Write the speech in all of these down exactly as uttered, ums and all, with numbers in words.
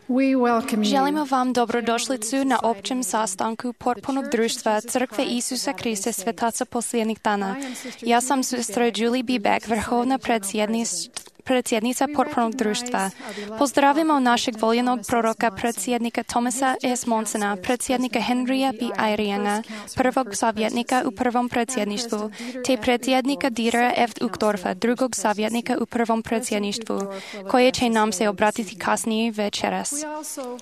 We welcome you. Želimo vám dobrodošlicu na općem sastanku potpunog društva Crkve Isusa Krista Svetaca posljednjih dana. Ja sam sestra Julie B. Beck, vrhovna predsjednica predsjednica potpunog društva. Pozdravimo našeg voljenog proroka, predsjednika Thomasa S. Monsona, predsjednika Henrya B. Eyringa, prvog savjetnika u prvom predsjedništvu, te predsjednika Dietera F. Uchtdorfa, drugog savjetnika u prvom predsjedništvu, koje će nam se obratiti kasnije večeras.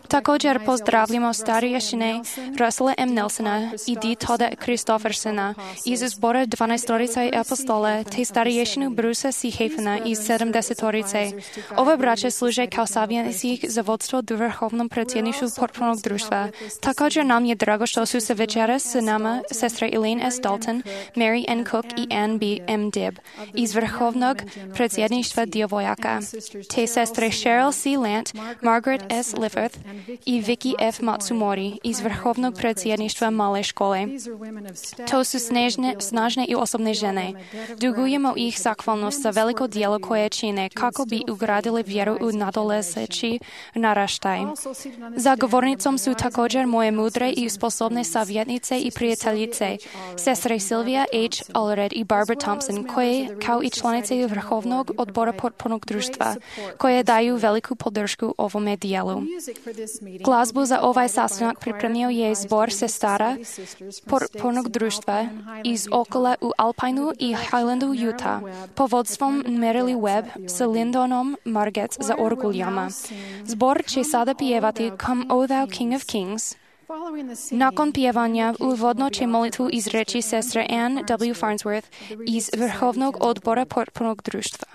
Također pozdravljamo starješine Russella M. Nelsona i D. Todda Christoffersona iz zbora dvanaestorice apostola, te starješinu Brusa C. Hafena iz sedamdesetorice. Ove braće služe kao savjetnici za vodstvo u vrhovnom predsjedništvu potpunog društva. Također nam je drago što su se večeras s nama sestre Elaine S. Dalton, Mary N. Cook i Ann B. M. Dibb iz vrhovnog predsjedništva djevojaka, te sestre Cheryl C. Lant, Margaret S. Lifforth i Vicky F. Matsumori iz vrhovnog predsjedništva male škole. To su snažne, snažne i osobne žene. Dugujemo ih zahvalnost za veliko djelo koje čine kako bi ugradili vjeru u nadolazeći naraštaj. Za govornicom su također moje mudre i sposobne savjetnice i prijateljice, sestre Sylvia H. Allred i Barbara Thompson, koje, kao i članice vrhovnog odbora potpunog društva, koje daju veliku podršku ovome dijelu. Glazbu za ovaj sastanak pripremio je zbor sestara potpunog društva iz okola u Alpineu i Highlandu, Utah, pod vodstvom Merrily Webb s Lindonom Margetts za orguljama. Zbor će sada pjevati Come, O Thou King of Kings. Nakon pjevanja uvodno će molitvu izreći sestra Ann W. Farnsworth iz vrhovnog odbora potpunog društva.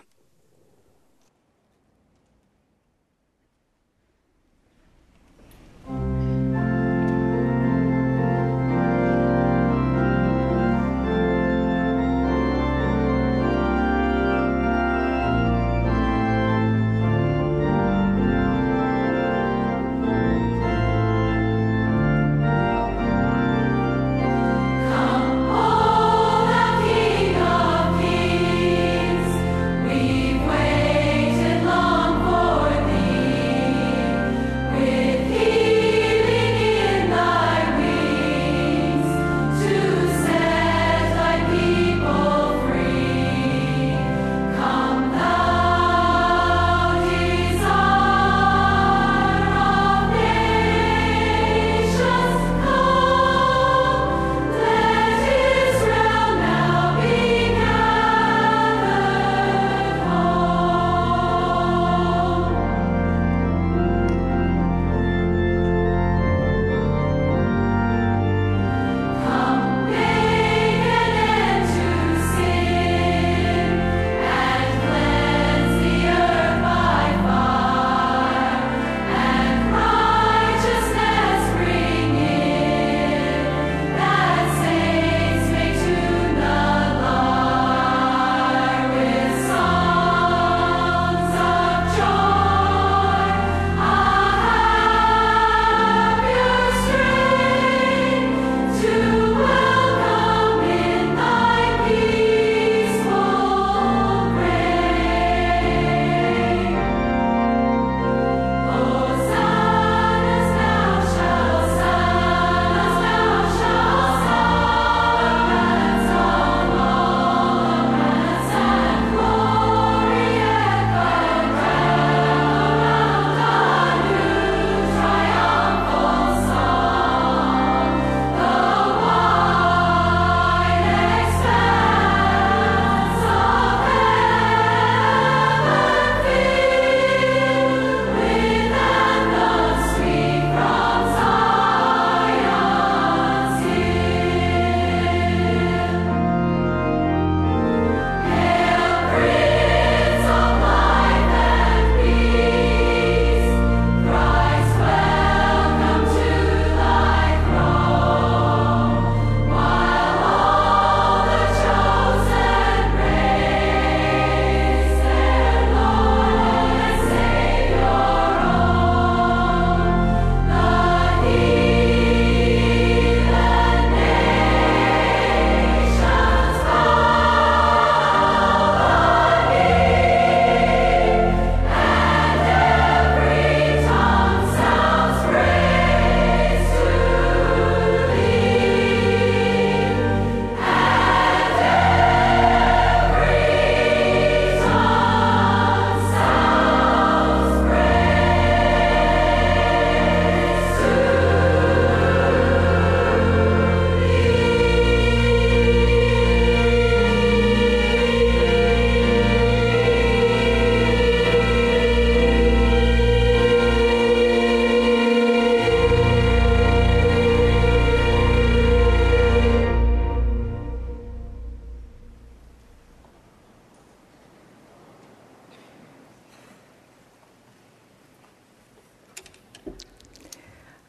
We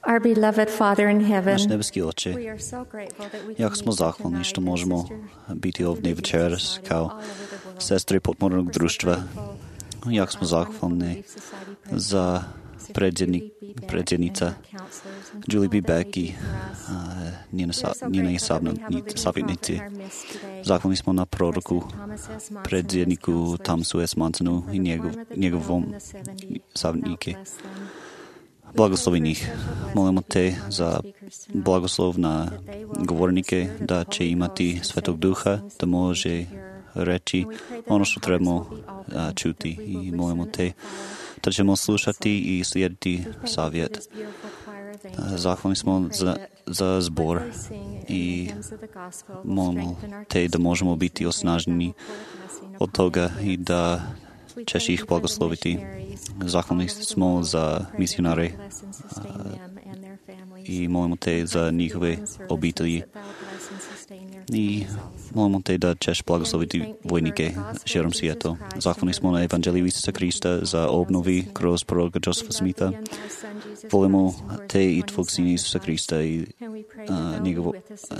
Our beloved Father in heaven, Наш небески Отче, як смо захвални, што можемо бити овдje večeras kao sestre potpornog društva. Jak smo zahvalni za predsjednik, predsjednica Julie B. Beck i njene, njene savjetnici. Zahvalni smo na proroku, predsjedniku Thomasu S. Mansonu i njegov, njegovom savjetnike. Blagoslovi njih. Molimo te za blagoslov na govornike, da će imati Svetog Duha, da može reći ono što trebamo a, čuti. I molimo te da ćemo slušati i slijediti savjet. Zahvalni smo za, za zbor i molimo te da možemo biti osnaženi od toga i da ćeš ih blagosloviti. Zahvalni smo za misionare i molimo te za njihove obitelji. I molimo te da ćeš blagosloviti vojnike širom svijeta. Zahvalni smo na Evanđeliju Isusa Krista za obnovi kroz proroka Josefa Smitha. Volimo te i tvog sina Isusa Krista i a, njegovo, a,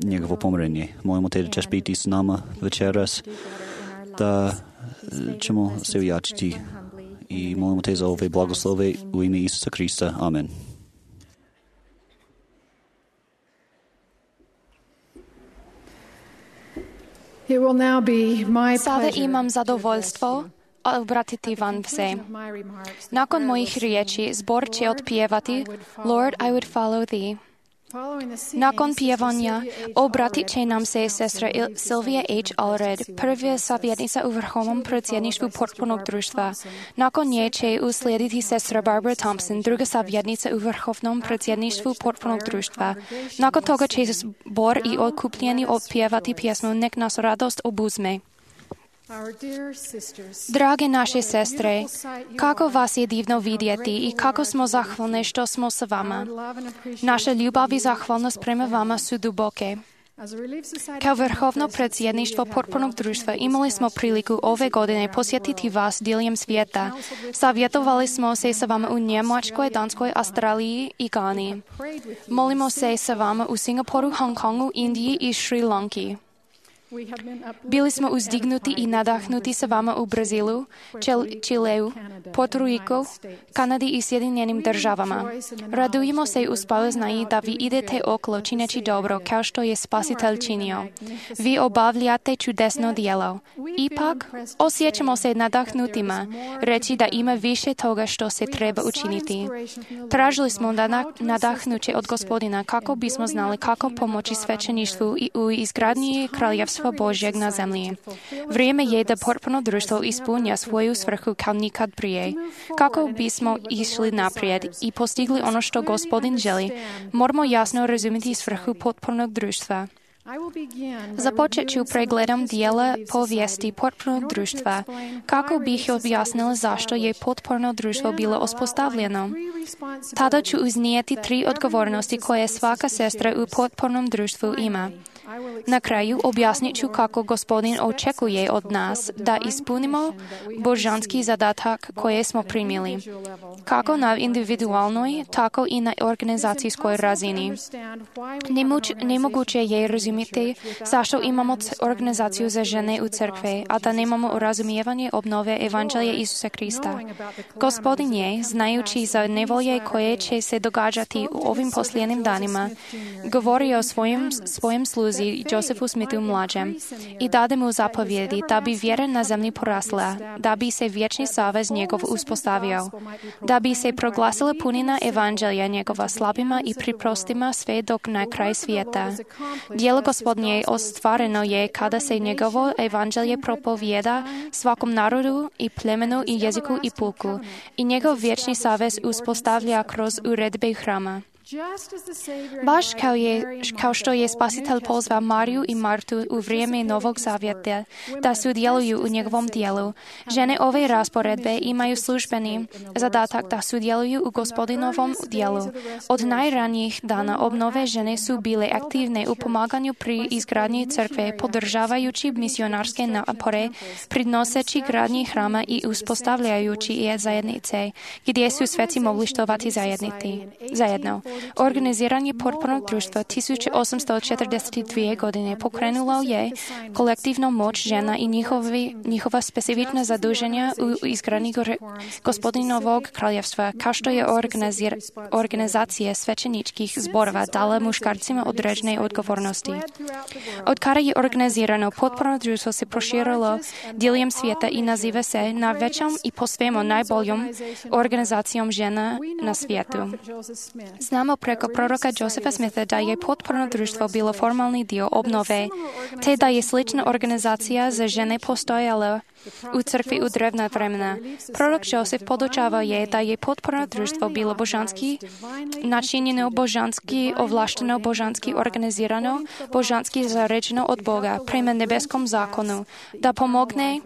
njegovo pomirenje. Molimo te da ćeš biti s nama večeras, da ćemo se ojačiti i molimo te za ove blagoslove u ime Isusa Krista. Amen. It will now be my Sada imam zadovoljstvo obratiti vam se. Nakon mojih riječi, zbor će otpjevati Lord, I would follow thee. Nakon pjevanja obratit će nam se sestra Sylvia H. Allred, prva savjetnica u vrhovnom predsjedništvu potpornog društva. Nakon nje će uslijediti sestra Barbara Thompson, druga savjetnica u vrhovnom predsjedništvu potpornog društva. Nakon toga će zbor i okupljeni otpjevati pjesmu Nek nas radost obuzme. Drage naše sestre, kako vas je divno vidjeti i kako smo zahvalne što smo s vama. Naša ljubav i zahvalnost prema vama su duboke. Kao vrhovno predsjedništvo potpornog društva imali smo priliku ove godine posjetiti vas diljem svijeta. Savjetovali smo se sa vama u Njemačkoj, Danskoj, Australiji i Gani. Molimo se sa vama u Singapuru, Hong Kongu, Indiji i Šri Lanki. Bili smo uzdignuti i nadahnuti sa vama u Brazilu, Čileu, Puerto Rico, Kanadi i Sjedinjenim državama. Radujemo se u spoznaji da vi idete okolo čineći dobro, kao što je Spasitelj činio. Vi obavljate čudesno djelo. Ipak, osjećamo se nadahnutima, reći da ima više toga što se treba učiniti. Tražili smo nadahnuće od Gospodina kako bismo znali kako pomoći svećeništvu i u izgradnji kraljevstva Božjeg na zemlji. Vrijeme je da potporno društvo ispunja svoju svrhu kao nikad prije. Kako bismo išli naprijed i postigli ono što Gospodin želi, moramo jasno razumjeti svrhu potpornog društva. Započet ću pregledom dijela povijesti potpornog društva, kako bih objasnila zašto je potporno društvo bilo uspostavljeno. Tada ću iznijeti tri odgovornosti koje svaka sestra u potpornom društvu ima. Na kraju objasnit ću kako Gospodin očekuje od nas da ispunimo božanski zadatak koje smo primili, kako na individualnoj, tako i na organizacijskoj razini. Nemoć, nemoguće je razumjeti zašto imamo organizaciju za žene u crkve, a da nemamo razumijevanje obnove Evanđelja Isusa Krista. Gospodin je, znajući za nevolje koje će se događati u ovim posljednjim danima, govorio o svojim, svojim sluzi Josefu Smithu mlađem i dade mu zapovjedi da bi vjera na zemlji porasla, da bi se vječni savez njegov uspostavio, da bi se proglasila punina Evanđelja njegova slabima i priprostima sve dok na kraj svijeta. Djelo Gospodnje ostvareno je kada se njegovo Evanđelje propovijeda svakom narodu i plemenu i jeziku i puku i njegov vječni savez uspostavlja kroz uredbe hrama. Baš kao, je, kao što je Spasitelj pozvao Mariju i Martu u vrijeme Novog Zavjeta da sudjeluju u njegovom dijelu, žene ove rasporedbe imaju službeni zadatak da sudjeluju u Gospodinovom dijelu. Od najranijih dana obnove žene su bile aktivne u pomaganju pri izgradnji crkve, podržavajući misionarske napore, pridnoseći gradnji hrama i uspostavljajući je zajednice, gdje su sveci mogli štovati zajedno. Organiziranje potpornog društva tisuće osamsto četrdeset dvije godine pokrenulo je kolektivnu moć žena i njihovi, njihova specifična zaduženja u izgradnji Gospodinovog kraljevstva, kao što je organizir, organizacija svećeničkih zborova dala muškarcima određene odgovornosti. Od kada je organizirano, potporno društvo se proširilo diljem svijeta i naziva se najvećom i po svemu najboljom organizacijom žena na svijetu. Znamo preko proroka Josepha Smitha da je potporno društvo bilo formalni dio obnove, te da je slična organizacija za žene postojala u crkvi u drevna vremena. Prorok Joseph podučavao je da je potporno društvo bilo božanski načinjeno, božanski ovlašteno, božanski organizirano, božanski zaređeno od Boga prema nebeskom zakonu, da pomogne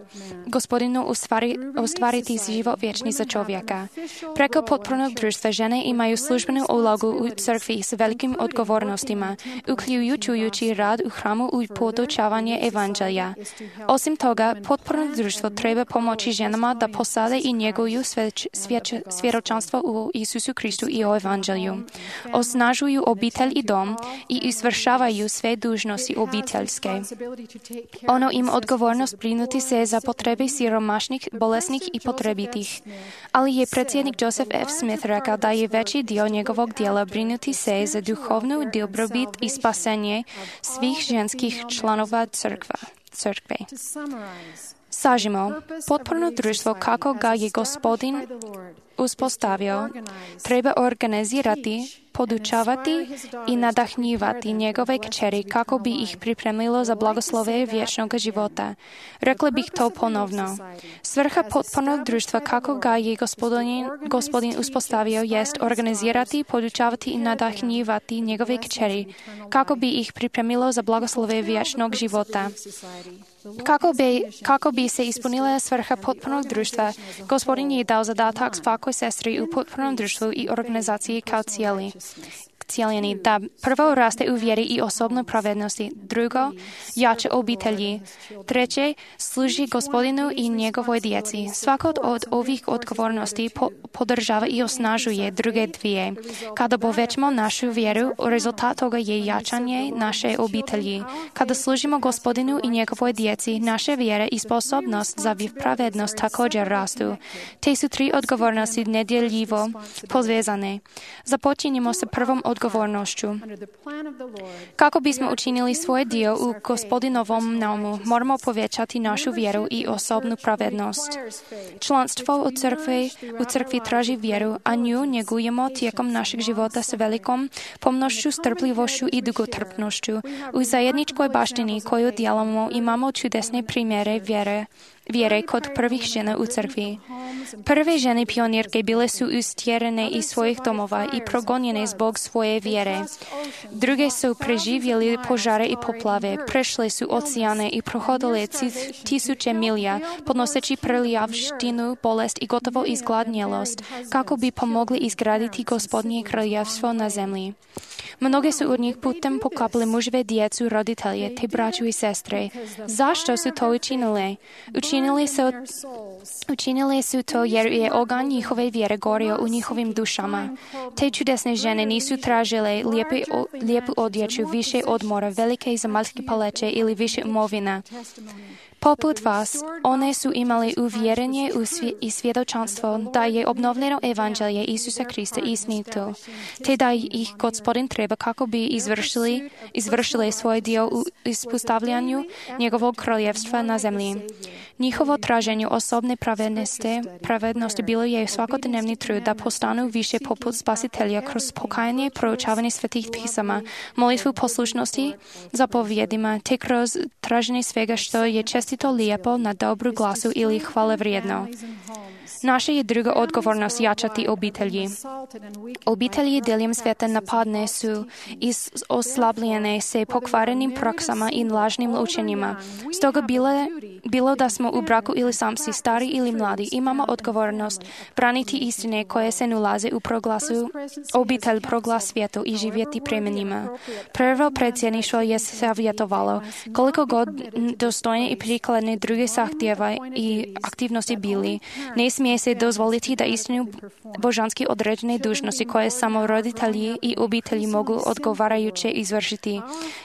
Gospodinu ustvari, ostvariti život vječni za čovjeka. Preko potpornog društva žene imaju službenu ulogu u crkvi s velikim odgovornostima, uključujući rad u hramu i podučavanje evanđelja. Osim toga, potporno društvo treba pomoći ženama da posade i njeguju svjedočanstvo u Isusu Kristu i o evanđelju. Osnažuju obitelj i dom i izvršavaju sve dužnosti obiteljske. Ono ima odgovornost brinuti se za potrebe siromašnih, bolesnih i potrebitih. Ali je predsjednik Joseph F. Smith rekao da je veći dio njegovog dijela brinuti se za duhovnu dobrobit i spasenje svih ženskih članova crkva, crkve. Sažimo, potporno društvo kako ga je Gospodin uspostavio, treba organizirati, podučavati i nadahnjivati njegove kćeri kako bi ih pripremilo za blagoslove vječnog života. Rekla bih to ponovno. Svrha potpornog društva kako ga je gospodin, gospodin uspostavio jest organizirati, podučavati i nadahnjivati njegove kćeri kako bi ih pripremilo za blagoslove vječnog života. Kako bi, kako bi se ispunila svrha potpornog društva, Gospodin je dao zadatak svakoj sestri u potpornom društvu i organizaciji kao cijeli. cijeljeni, da prvo raste u vjeri i osobnoj pravednosti, drugo, jače obitelji, treće, služi Gospodinu i njegovoj djeci. Svako od ovih odgovornosti po- podržava i osnažuje druge dvije. Kada povećamo našu vjeru, rezultat toga je jačanje naše obitelji. Kada služimo Gospodinu i njegovoj djeci, naše vjere i sposobnost za pravednost također rastu. Te su tri odgovornosti nedjeljivo povezane. Započinjemo sa prvom odgovornošću. Kako bismo učinili svoj dio u Gospodinovom naumu, moramo povećati našu vjeru i osobnu pravednost. Članstvo u crkvi, u crkvi traži vjeru, a nju njegujemo tijekom našeg života s velikom pomnošću, strpljivošću i dugotrpnošću. U zajedničkoj baštini koju dijelimo imamo čudesne primjere vjere. vjere kod prvih žena u crkvi. Prve žene pionirke bile su istjerene iz svojih domova i progonjene zbog svoje vjere. Druge su preživjeli požare i poplave, prešle su oceane i prohodile tisuće milja, podnoseći prljavštinu, bolest i gotovo izgladnjelost, kako bi pomogli izgraditi Gospodnje kraljevstvo na zemlji. Mnoge su od njih putem pokapali muževe, djecu, roditelje, te braću i sestre. Zašto su to učinile? Učinili su, učinili su to jer je oganj njihove vjere gorio u njihovim dušama. Te čudesne žene nisu tražile lijepi, o, lijepu odjeću, više odmora, velike zemaljske paleće ili više imovina. Poput vas, one su imali uvjerenje i svjedočanstvo da je obnovljeno evanđelje Isusa Krista istinito, te da ih Gospodin treba kako bi izvršili, izvršili svoj dio u ispostavljanju njegovog kraljevstva na zemlji. Njihovo traženje osobne pravednosti, pravednosti bilo je svakodnevni trud da postanu više poput Spasitelja kroz pokajanje, proučavanje svetih pisama, molitvu poslušnosti zapovjedima, te kroz traženje svega što je čestito lijepo na dobru glasu ili hvale vrijedno. Наша je druga odgovornost jačati obitelji. Obitelji diljem svijeta napadne su i oslabljene se pokvarenim praksama i lažnim učenjima. Stoga bile, bilo da smo u braku ili samci, stari ili mladi, imamo odgovornost braniti istine koje se nalaze u proglasu obitelj proglas svijetu i živjeti prema njima. Prvo predsjedništvo je savjetovalo koliko god dostojne i prikladne druge zahtjeva i aktivnosti bili. Ne smije se dozvoliti da istinu božanski određene dužnosti koje samo roditelji i obitelji mogu odgovarajuće izvršiti.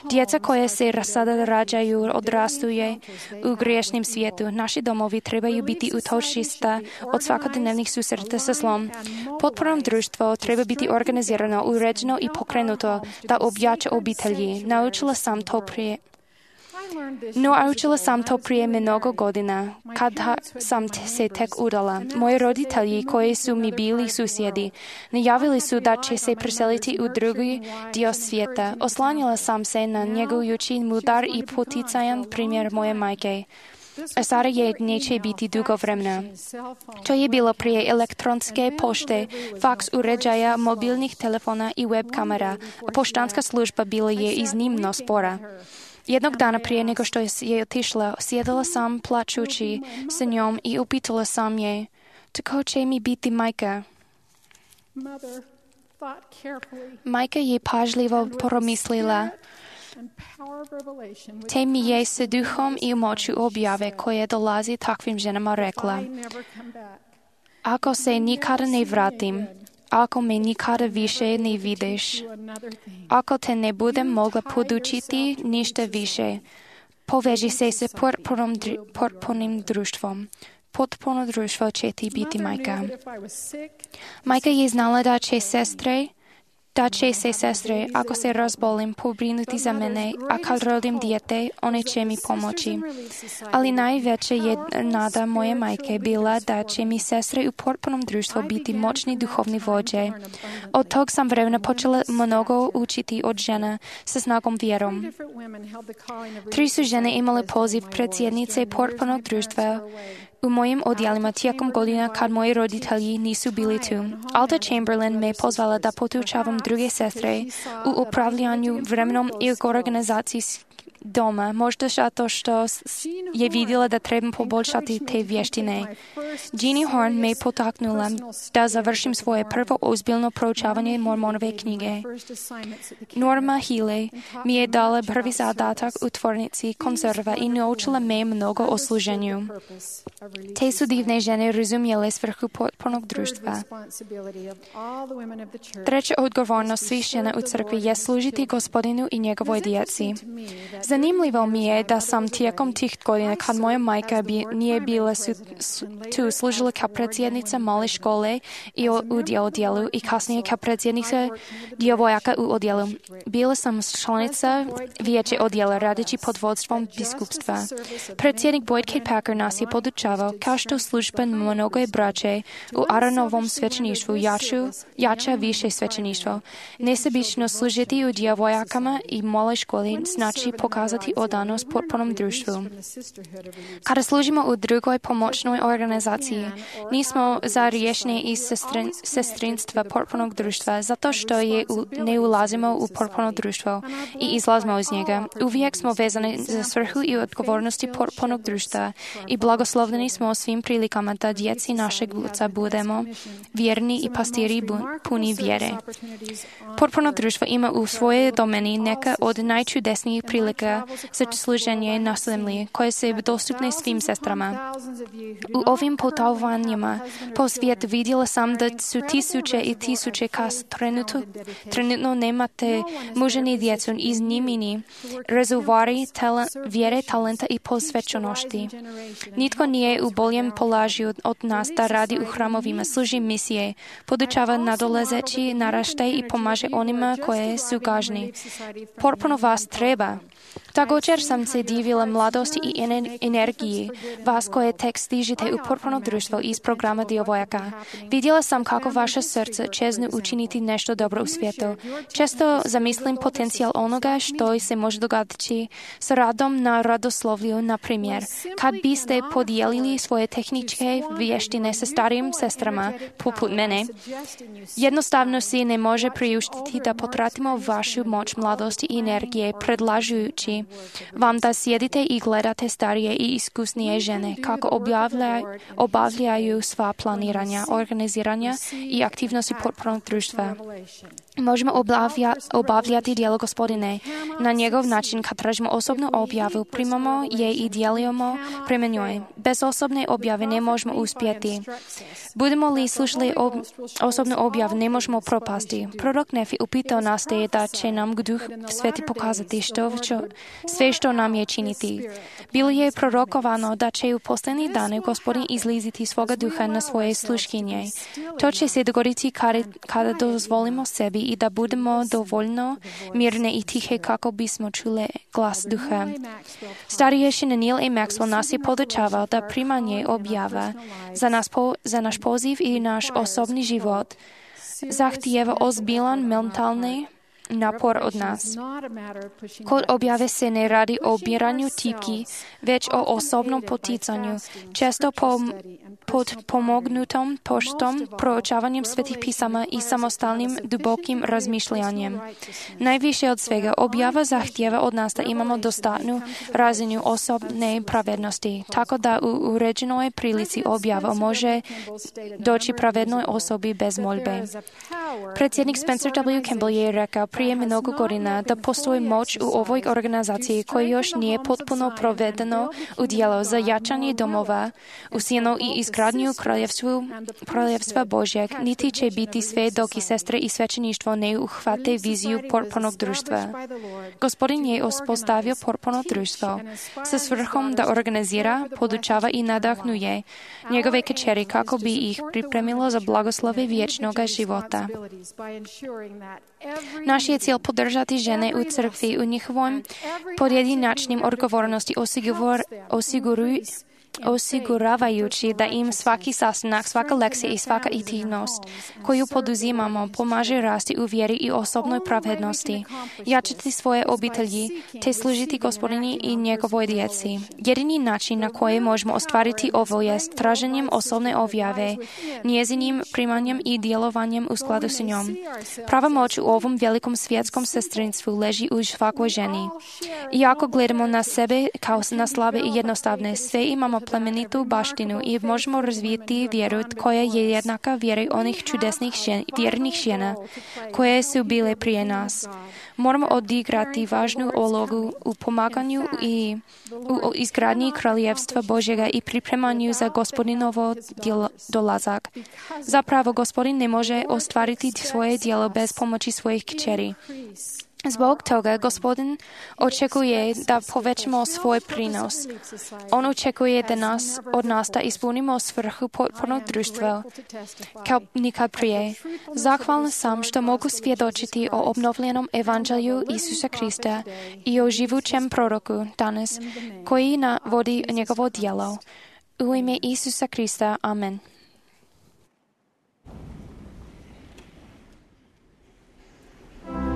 Djeca koje se sada rađaju odrastuje u griješnom svijetu. Naši domovi trebaju biti utočišta od svakodnevnih susreta sa zlom. Potporno društvo treba biti organizirano, uređeno i pokrenuto da objača obitelji. Naučila sam to prije No, naučila sam to prije mnogo godina, kada sam se tek udala. Moji roditelji, koji su mi bili susjedi, najavili su da će se preseliti u drugi dio svijeta. Oslanjala sam se na njegujući mudar i poticajan primjer moje majke. A sada je neće biti dugo vremena. To je bilo prije elektronske pošte, faks uređaja, mobilnih telefona i web kamera. Poštanska služba bila je iznimno spora. Jednog dana prije nego što je otišla, sjedala sam plačući sa njom i upitala sam je, tako će mi biti majka. Majka je pažljivo promislila, te mi je sa duhom i moću objave koje dolazi takvim ženama rekla, ako se nikada ne vratim, ako me nikada više ne vidiš, ako te ne budem mogla podučiti ništa više, poveži se sa potpunim društvom. Potpuno društvo će ti biti majka. Majka je znala da će sestre, da će se sestre, ako se razbolim, pobrinuti za mene, a kad rodim dijete, one će mi pomoći. Ali najveća je nada moje majke bila da će mi sestre u potpunom društvu biti moćni duhovni vođe. Od tog sam vremena počela mnogo učiti od žena sa snagom vjerom. Tri su žene imale poziv predsjednice potpunog društva u mojim odjelima tijekom godina kad moji roditelji nisu bili tu. Alta Chamberlain me pozvala da podučavam druge sestre u upravljanju vremenom i organizaciji doma, možda zato što je vidjela da trebam poboljšati te vještine. Jeannie Horn me potaknula da završim svoje prvo ozbiljno proučavanje Mormonove knjige. Norma Healy mi je dala prvi zadatak u tvornici konzerva i naučila me mnogo o služenju. Te su divne žene razumjele svrhu potpunog društva. Treća odgovornost svih žena u crkvi je služiti Gospodinu i njegovoj djeci. Zanimljivo mi je da sam tijekom tih godina, kad moja majka bi, nije bila su, su, tu, služila kao predsjednica male škole i o, u odjelu i kasnije kao predsjednica djevojaka u odjelu. Bila sam članica vijeća odjela radeći pod vodstvom biskupstva. Predsjednik Boyd K. Packer nas je podučavao kao što služba mnogoje braće u Aaronovom svećeništvu jaču, jača više svećeništvo. Nesebično služiti u djevojakama i maloj školi znači pokazati odanost potpunom društvu. Kada služimo u drugoj pomoćnoj organizaciji, nismo za riješenje iz sestrin, sestrinstva potpunog društva, zato što je u, ne ulazimo u potpuno društvo i izlazimo iz njega. Uvijek smo vezani za svrhu i odgovornosti potpunog društva i blagoslovljeni smo svim prilikama da djeci našeg oca budemo vjerni i pastiri puni vjere. Potpuno društvo ima u svojoj domeni neka od najčudesnijih prilika za služenje na zemlji, koje su dostupne svim sestrama. U ovim putovanjima po svijetu vidjela sam da su tisuće i tisuće kas trenutno, trenutno nemate muže ni djecu iz njimini, rezervoari tala, vjere, talenta i posvećenosti. Nitko nije u boljem položaju od nas da radi u hramovima, služi misije, podučava nadolazeći naraštaj i pomaže onima koje su gažni. Potpuno vas treba. Također sam se divila mladosti i energiji vas koje tek stižete u potpuno društvo iz programa Djevojaka. Vidjela sam kako vaše srce čeznu učiniti nešto dobro u svijetu. Često zamislim potencijal onoga što se može dogoditi s radom na radoslovlju, na primjer, kad biste podijelili svoje tehničke vještine sa starijim sestrama, poput mene. Jednostavno si ne može priuštiti da potratimo vašu moć mladosti i energije predlažujući vam da sjedite i gledate starije i iskusnije žene kako obavlja, obavljaju sva planiranja, organiziranja i aktivnosti potpornog društva. Možemo obavlja, obavljati djelo Gospodine na njegov način kad tražimo osobnu objavu, primamo je i djelujemo prema njoj. Bez osobne objave ne možemo uspjeti. Budemo li slušali ob, osobnu objavu, ne možemo propasti. Prorok Nefi upitao nas te da će nam Duh Sveti pokazati što, čo, sve što nam je činiti. Bilo je prorokovano da će u posljednjih dana Gospodin izliziti svoga duha na svoje sluškinje. To će se dogoditi kada, kada dozvolimo sebi i da budemo dovoljno mirne i tihe kako bismo čuli glas duha. Starješina Neil A. Maxwell nas je podučavao da primanje objava za, nas po, za naš poziv i naš osobni život zahtijeva ozbiljan mentalni napor od nas. Kod objave se ne radi o biranju tipki, već o osobnom poticanju, često po, pod pomognutom poštom, proučavanjem svetih pisama i samostalnim dubokim razmišljanjem. Najviše od svega objava zahtijeva od nas da imamo dostatnu razinu osobne pravednosti, tako da u uređenoj prilici objava može doći pravednoj osobi bez molbe. Predsjednik Spencer W. Kimball je rekao prije mnogo godina da postoji moć u ovoj organizaciji koja još nije potpuno provedeno u djelo za jačanje domova, usijeno i izgradnju kraljevstva Božjeg, niti će biti sve dok i sestre i svećeništvo ne uhvate viziju potpunog društva. Gospodin je uspostavio potpuno društvo sa svrhom da organizira, podučava i nadahnuje njegove kćeri kako bi ih pripremilo za blagoslove vječnog života. Naš je cilj podržati žene u crkvi u njihovom podjedinačnim odgovornosti osiguruju osiguravajući da im svaki sastanak, svaka lekcija i svaka aktivnost koju poduzimamo pomaže rasti u vjeri i osobnoj pravednosti, jačati svoje obitelji te služiti Gospodini i njegovoj djeci. Jedini način na koji možemo ostvariti ovo je traženjem osobne objave, njezinim primanjem i djelovanjem u skladu s njom. Prava moć u ovom velikom svjetskom sestrinstvu leži u svakoj ženi. Iako gledamo na sebe kao na slabe i jednostavne, sve imamo plemenitu baštinu i možemo razvijeti vjeru koja je jednaka vjeri onih čudesnih žen, vjernih žena koje su bile prije nas. Moramo odigrati važnu ulogu u pomaganju i u izgradnji kraljevstva Božjega i pripremanju za Gospodinovo dolazak. Zapravo, Gospodin ne može ostvariti svoje djelo bez pomoći svojih kćeri. Zbog toga Gospodin očekuje da povećamo svoj prinos. On očekuje da nas, od nas da ispunimo svrhu potpunog društva kao nikad prije. Zahvalna sam što mogu svjedočiti o obnovljenom evanđelju Isusa Krista i o živućem proroku danas koji navodi njegovo djelo. U ime Isusa Krista. Amen. Oh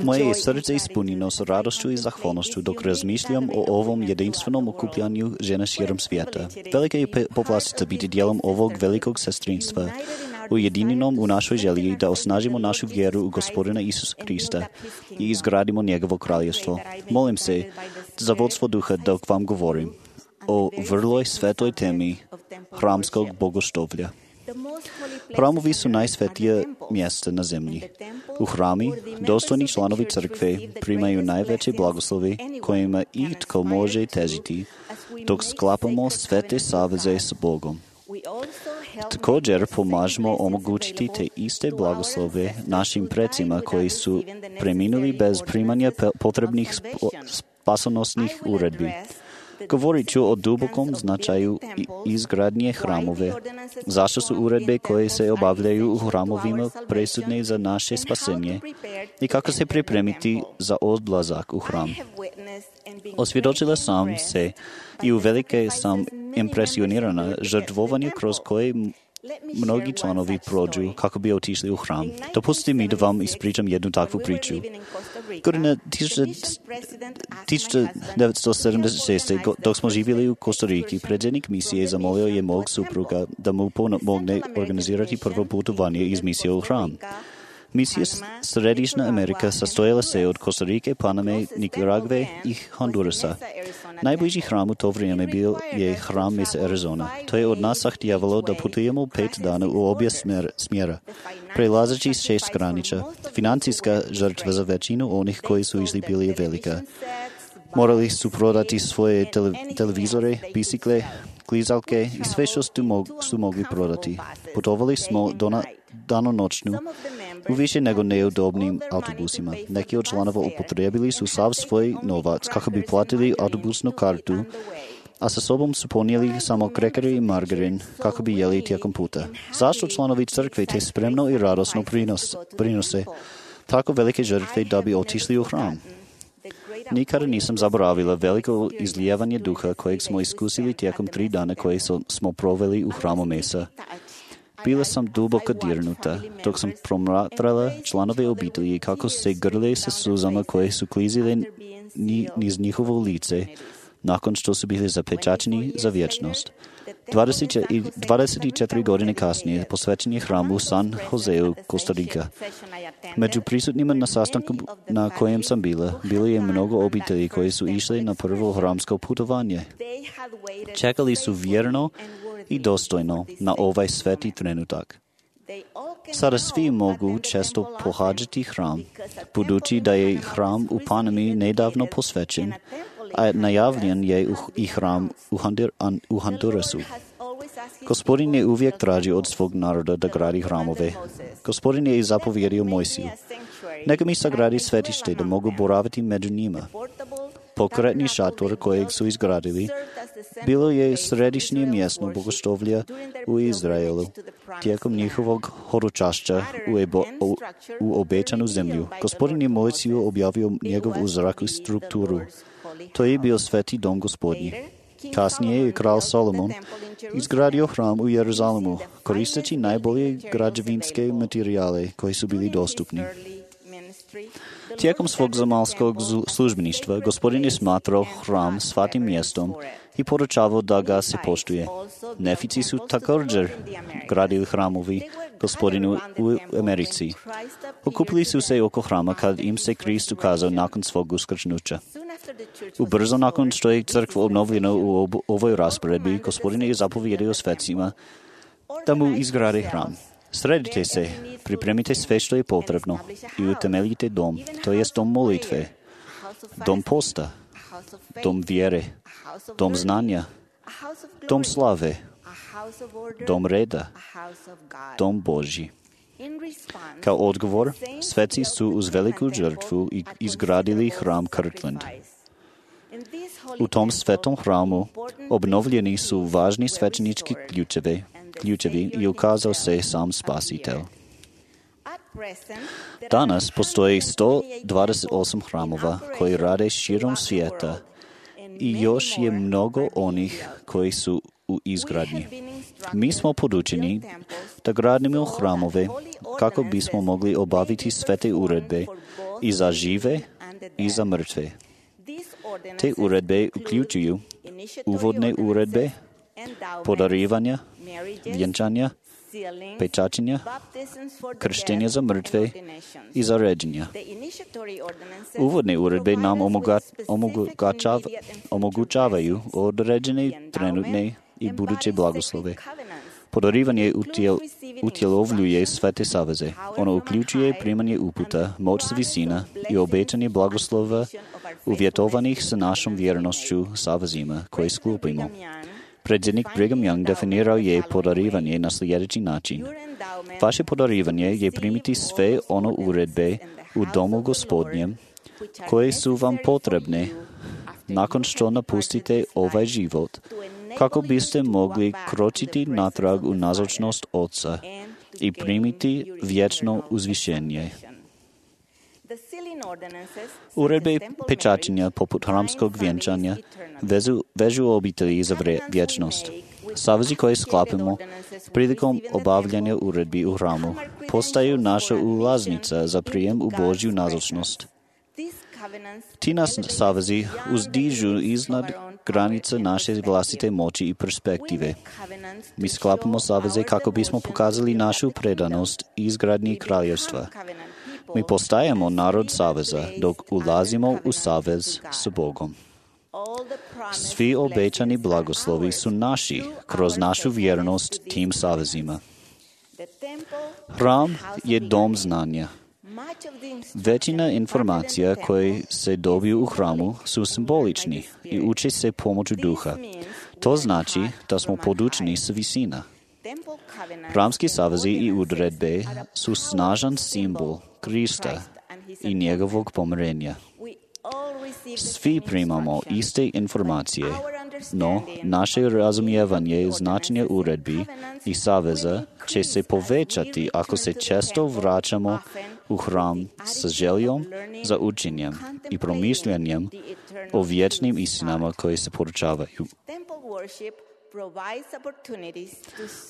Moje srdce je ispunjeno s radosťou i zahvalnosťou, dok razmišljam o ovom jedinstvenom okupljanju žena širom svijeta. Velika je povlastica biti dijelom ovog velikog sestrinstva, ujedinjenom u našoj želji da osnažimo našu vjeru u Gospodina Isusa Krista i izgradimo njegovo kraljevstvo. Molim se za vodstvo duha dok vam govorim o vrloj svetoj temi hramskog bogoštovlja. Hramovi su najsvetija mjesta na zemlji. U hrami dostojni članovi crkve primaju najveće blagoslovi kojima itko može težiti dok sklapamo svete saveze s Bogom. Također pomažemo omogućiti te iste blagoslove našim precima koji su preminuli bez primanja potrebnih spasonosnih uredbi. Govorit ću o dubokom značaju izgradnje hramove. Zašto su uredbe koje se obavljaju u hramovima presudne za naše spasenje i kako se pripremiti za odlazak u hram. Osvjedočila sam se i uvelike sam impresionirana žrtvovanjem kroz koje mnogi članovi prođu kako bi otišli u hram. Dopustite mi da vam ispričam jednu takvu priču. Godina tisuća devetsto sedamdeset šest. dok smo živjeli u Kostariki, predsjednik misije zamolio je mog supruga da mu pomogne organizirati prvo putovanje iz misije u hram. Misija Središnja Amerika sastojala se od Kostarike, Paname, Nikaragve i Hondurasa. Najbliži hram u to vrijeme bio je hram Mesa Arizona. To je od nas zahtijevalo da putujemo pet dana u obje smjera, prelazeći šest granica. Financijska žrtva za većinu onih koji su išli bili je velika. Morali su prodati svoje tele- televizore, bicikle, klizalke i sve što su, mog- su mogli prodati. Putovali smo do na- danonoćnu u više nego neudobnim autobusima. Neki od članova upotrijebili su sav svoj novac kako bi platili autobusnu kartu, a sa sobom su ponijeli samo krekere i margarin kako bi jeli tijekom puta. Zašto članovi crkve te spremno i radosno prinos, prinose tako velike žrtve da bi otišli u hram? Nikada nisam zaboravila veliko izlijevanje duha kojeg smo iskusili tijekom tri dana koje smo proveli u hramu Mesa. Bila sam duboko dirnuta, dok sam promatrala članove obitelji kako se grle sa suzama koje su klizile ni, niz njihovo lice nakon što su bili zapečačeni za vječnost. dvadeset četiri godine kasnije posvećen je hram u San Joseu, Kostarika. Među prisutnima na sastanku na kojem sam bila, bilo je mnogo obitelji koji su išli na prvo hramsko putovanje. Čekali su vjerno i dostojno na ovaj sveti trenutak. Sada svi mogu često pohađati hram, budući da je hram u Panami nedavno posvećen, a najavljen je i hram u, Hondur, u Hondurasu. Gospodin je uvijek tražio od svog naroda da gradi hramove. Gospodin je i zapovjedio Mojsiju: neka mi sagradi svetište da mogu boraviti među njima. Pokretni šator kojeg su izgradili bilo je središnje mjesto bogoštovlja u Izraelu tijekom njihovog hodočašća u, ebo, u, u obećanu zemlju. Gospodin je Mojsiju objavio njegov uzrak i strukturu. To je bio sveti dom Gospodnji. Kasnije je kralj Solomon izgradio hram u Jeruzalemu, koristeći najbolje građevinske materijale koji su bili dostupni. Tijekom svog zamalskog službeništva Gospodin je smatrao hram svatim mjestom i poručavao da ga se poštuje. Nefici su također gradili hramovi Gospodinu u Americi. Okupili su se oko hrama kad im se Krist ukazao nakon svog uskrsnuća. Ubrzo nakon što je crkva obnovljena u ob- ovoj rasporedbi, Gospodin je zapovjedio svecima da mu izgrade hram. Sredite se, pripremite sve što je potrebno i utemeljite dom, to jest dom molitve, dom posta, dom vjere, dom znanja, dom slave, dom reda, dom Božji. Kao odgovor, sveci su uz veliku žrtvu izgradili hram Kirtland. U tom svetom hramu obnovljeni su važni svećenički ključevi, ključevi i ukazao se sam Spasitelj. Danas postoji sto dvadeset osam hramova koji rade širom svijeta i još je mnogo onih koji su u izgradnji. Mi smo podučeni da gradimo hramove kako bismo mogli obaviti svete uredbe i za žive i za mrtve. Te uredbe uključuju uvodne uredbe, podarivanja, vjenčanja, pečaćenja, krštenja za mrtve i za ređenja. Uvodne uredbe nam omogućavaju određene trenutne i buduće blagoslove. Podarivanje utjel, utjelovljuje svete saveze. Ono uključuje primanje uputa, moć s visina i obećanje blagoslova uvjetovanih sa našom vjernošću savezima koje sklopimo. Predsjednik Brigham Young definirao je podarivanje na sljedeći način. Vaše podarivanje je primiti sve ono uredbe u domu Gospodnjem koje su vam potrebne nakon što napustite ovaj život, kako biste mogli kročiti natrag u nazočnost Oca i primiti vječno uzvišenje. Uredbe pečaćenja poput hramskog vjenčanja vezu, vežu obitelji za vre, vječnost. Savezi koje sklapimo prilikom obavljanja uredbi u hramu postaju naša ulaznica za prijem u Božju nazočnost. Ti nas savezi uzdižu iznad granica naše vlastite moći i perspektive. Mi sklapamo saveze kako bismo pokazali našu predanost izgradnji kraljevstva. Mi postajemo narod saveza dok ulazimo u savez s Bogom. Svi obećani blagoslovi su naši kroz našu vjernost tim savezima. Hram je dom znanja. Većina informacija koje se dobiju u hramu su simbolični i uče se pomoću duha. To znači da smo podučeni s visina. Hramski savezi i uredbe su snažan simbol Krista i njegovog pomirenja. Svi primamo iste informacije, no naše razumijevanje značenja uredbi i saveza će se povećati ako se često vraćamo u hram sa željom za učenjem i promišljanjem o vječnim istinama koje se poručavaju.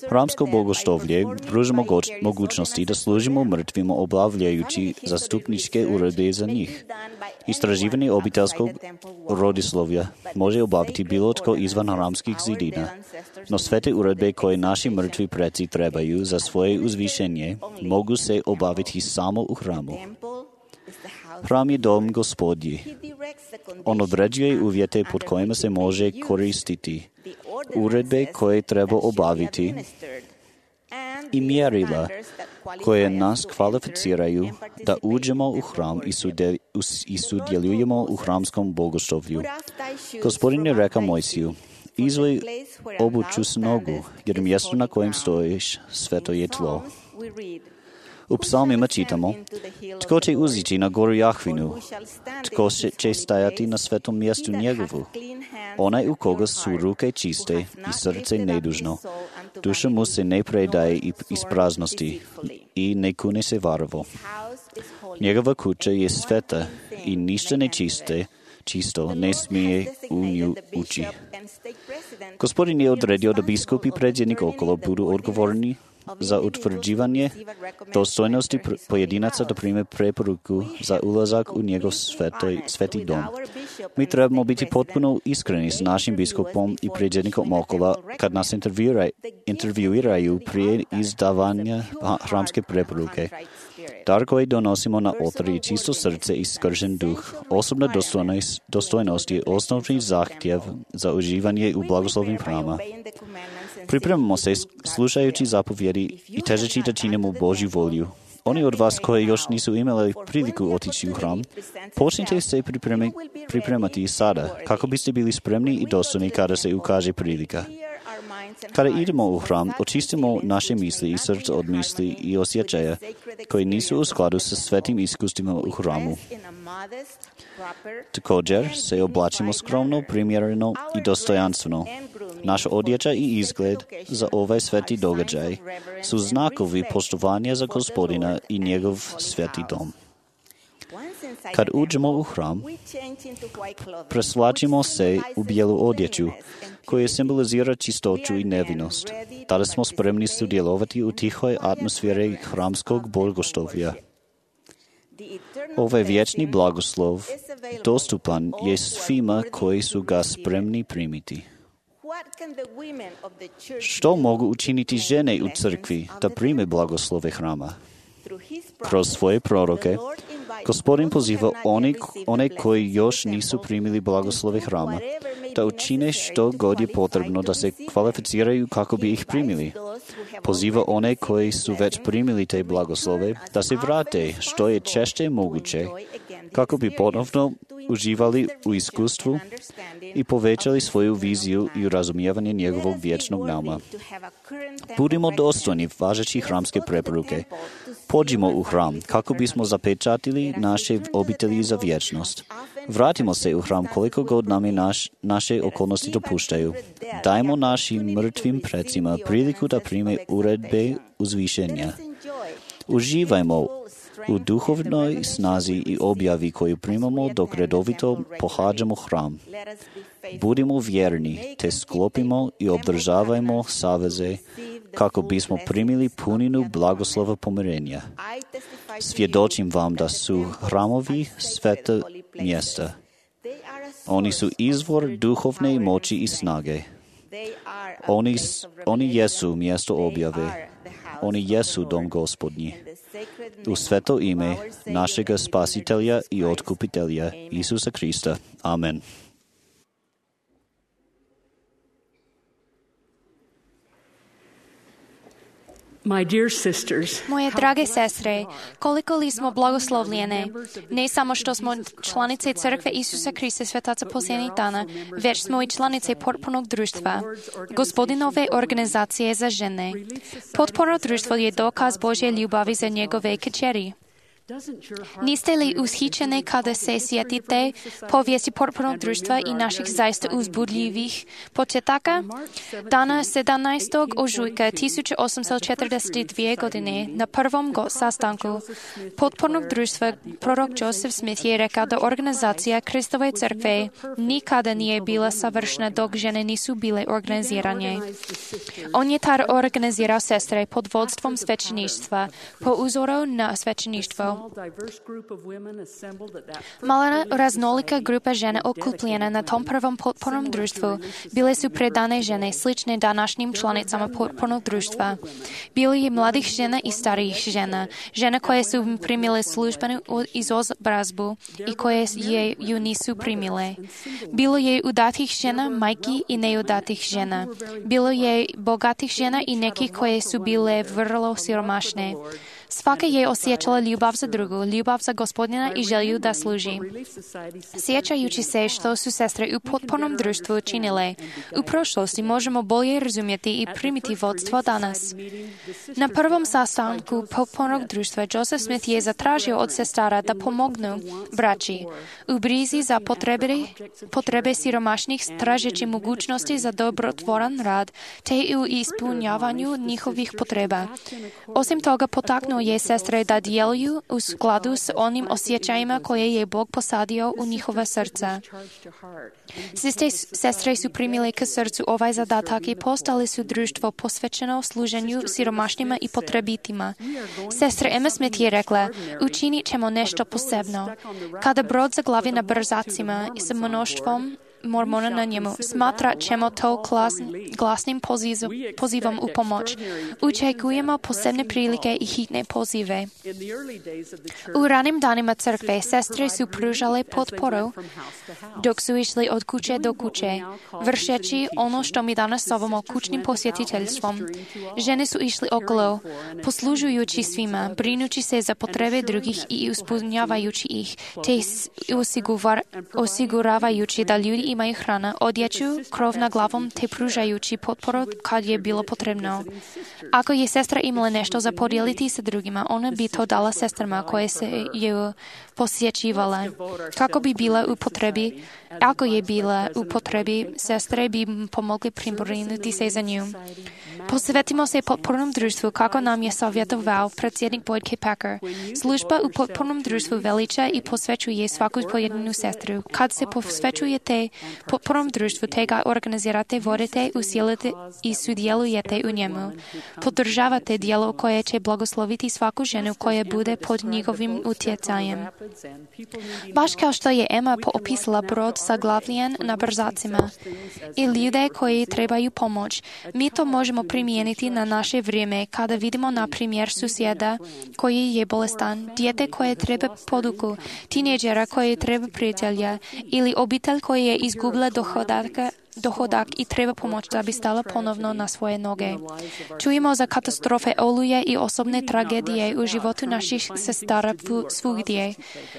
Hramsko bogoštovlje pruža mogućnosti da služimo mrtvima obavljajući zastupničke uredbe za njih. Istraživanje obiteljskog rodoslovlja može obaviti bilo tko izvan hramskih zidina, no sve te uredbe koje naši mrtvi preci trebaju za svoje uzvišenje mogu se obaviti samo u hramu. Hram je dom Gospodji. On određuje uvjete pod kojima se može koristiti, uredbe koje treba obaviti i mjerila koje nas kvalificiraju da uđemo u hram i sudjelujemo u hramskom bogoštovlju. Gospodin je rekao Mojsiju: izvoj obuću s nogu, jer mjesto na kojem stojiš sveto je tlo. U psalmima čitamo: tko će uzići na goru Jahvinu, tko će stajati na svetom mjestu njegovu, onaj u koga su ruke čiste i srce nedužno, duša mu se ne predaje iz praznosti i ne kune se varovo. Njegova kuća je sveta i ništa nečiste, čisto ne smije u nju ući. Gospodin je odredio da biskup i predsjednik okolo budu odgovorni za utvrđivanje dostojnosti pojedinaca da prime preporuku za ulazak u njegov svetoj, sveti dom. Mi trebamo biti potpuno iskreni s našim biskupom i predsjednikom okola kad nas intervjuiraju prije izdavanja hramske preporuke. Dar koji donosimo na oltar je čisto srce i skršen duh. Osobna dostojnost, dostojnost je osnovni zahtjev za uživanje u blagoslovnim hrama. Pripremamo se slušajući zapovjedi i težeći da činimo Božju volju. Oni od vas koji još nisu imali priliku otići u hram, počnite se pripremi, pripremati sada, kako biste bili spremni i dostojni kada se ukaže prilika. Kada idemo u hram, očistimo naše misli i srce od misli i osjećaja koji nisu u skladu sa svetim iskustvima u hramu. Također se oblačimo skromno, primjereno i dostojanstveno. Naša odjeća i izgled za ovaj sveti događaj su znakovi poštovanja za Gospodina i njegov sveti dom. Kad uđemo u hram, preslačimo se u bijelu odjeću, koja simbolizira čistoću i nevinost. Tada smo spremni sudjelovati u tihoj atmosferi hramskog bogosluvja. Ovaj vječni blagoslov dostupan je svima koji su ga spremni primiti. Što mogu učiniti žene u crkvi da prime blagoslove hrama? Kroz svoje proroke, Gospodin poziva one, one koji još nisu primili blagoslove hrama, da učine što god je potrebno da se kvalificiraju kako bi ih primili. Poziva one koji su već primili te blagoslove da se vrate što je češće moguće kako bi ponovno uživali u iskustvu i povećali svoju viziju i razumijevanje njegovog vječnog nama. Budimo dostojni važećih hramske preporuke. Pođimo u hram kako bismo zapečatili naše obitelji za vječnost. Vratimo se u hram koliko god nam je naš, naše okolnosti dopuštaju. Dajmo našim mrtvim precima priliku da prime uredbe uzvišenja. Uživajmo u duhovnoj snazi i objavi koju primamo dok redovito pohađamo hram. Budimo vjerni, te sklopimo i obdržavajmo saveze kako bismo primili puninu blagoslova pomirenja. Svjedočim vam da su hramovi sveta mjesta. Oni su izvor duhovne moći i snage. Oni, oni jesu mjesto objave. Oni jesu dom Gospodnji. U sveto ime našega Spasitelja i Otkupitelja Isusa Krista. Amen. My dear sisters, Moje drage sestre, koliko li smo blagoslovljene, ne samo što smo članice Crkve Isusa Krista Svetaca posljednjih dana, već smo i članice potpornog društva, Gospodinove organizacije za žene. Potporno društvo je dokaz Božje ljubavi za njegove kćeri. Niste li ushićene kada se sjetite povijesti potpornog društva i naših zaista uzbudljivih početaka? Dana sedamnaestog ožujka tisuću osamsto četrdeset dvije. godine na prvom sastanku potpornog društva prorok Joseph Smith je rekao da organizacija Kristove crkve nikada nije bila savršena dok žene nisu bile organizirane. On je tada organizirao sestre pod vodstvom svećeništva po uzoru na svećeništvo. Mala raznolika grupa žena okupljena na tom prvom potpornom društvu bile su predane žene slične današnjim članicama potpornog društva. Bilo je mladih žena i starijih žena, žena koje su primile službenu izobrazbu i koje je ju nisu primile. Bilo je udatih žena, majki i neudatih žena. Bilo je bogatih žena i nekih koje su bile vrlo siromašne. Svaka je osjećala ljubav za drugu, ljubav za Gospodina i želju da služi. Sjećajući se što su sestre u potpornom društvu činile, u prošlosti možemo bolje razumjeti i primiti vodstvo danas. Na prvom sastanku potpornog društva Joseph Smith je zatražio od sestara da pomognu braći u brizi za potrebe, potrebe siromašnih tražeći mogućnosti za dobrotvoran rad te u ispunjavanju njihovih potreba. Osim toga potaknuo je sestre da djeluju u skladu s onim osjećajima koje je Bog posadio u njihova srca. Siste sestre su primile k srcu ovaj zadatak i postali su društvo posvećeno služenju siromašnima i potrebitima. Sestra Emma Smith je rekla, učinit ćemo nešto posebno. Kada brod zaglavi na brzacima s mnoštvom mormona na njemu, smatrat ćemo to glasnim pozivom u pomoć. Očekujemo posebne prilike i hitne pozive. U ranim danima crkve sestre su pružale potporu dok su išli od kuće do kuće, vršeći ono što mi danas zovemo kućnim posjetiteljstvom. Žene su išli okolo, poslužujući svima, brinući se za potrebe drugih i ispunjavajući ih, te osiguravajući da ljudi imaju hrana, odjeću, krov na glavom, te pružajući potporu kad je bilo potrebno. Ako je sestra imala nešto za podijeliti sa drugima, ona bi to dala sestrama koje se ju посвячивала. Како би била употреби, ако je bila upotrebi, sestre bi pomogli pribrinuti se za nju. Posvetimo se potpornom društvu, kako nam je savjetoval predsjednik Boyd K. Packer. Služba u potpornom društvu veliča i posvećuje svaku pojedinu sestru. Kad se posvećujete potpornom društvu, te ga organizirate, vodite, usilite i sudjelujete u njemu. Podržavate djelo koje će blagosloviti svaku ženu koja bude pod njihovim utjecajem. Baš kao što je Emma poopisala brod zaglavljen na brzacima i ljude koji trebaju pomoć, mi to možemo primijeniti na naše vrijeme kada vidimo na primjer susjeda koji je bolestan, dijete koje treba poduku, tineđera koje treba prijatelja ili obitelj koji je izgubila dohodaka dohodak i treba pomoć da bi stala ponovno na svoje noge. Čujemo za katastrofe, oluje i osobne tragedije u životu naših sestara svugdje.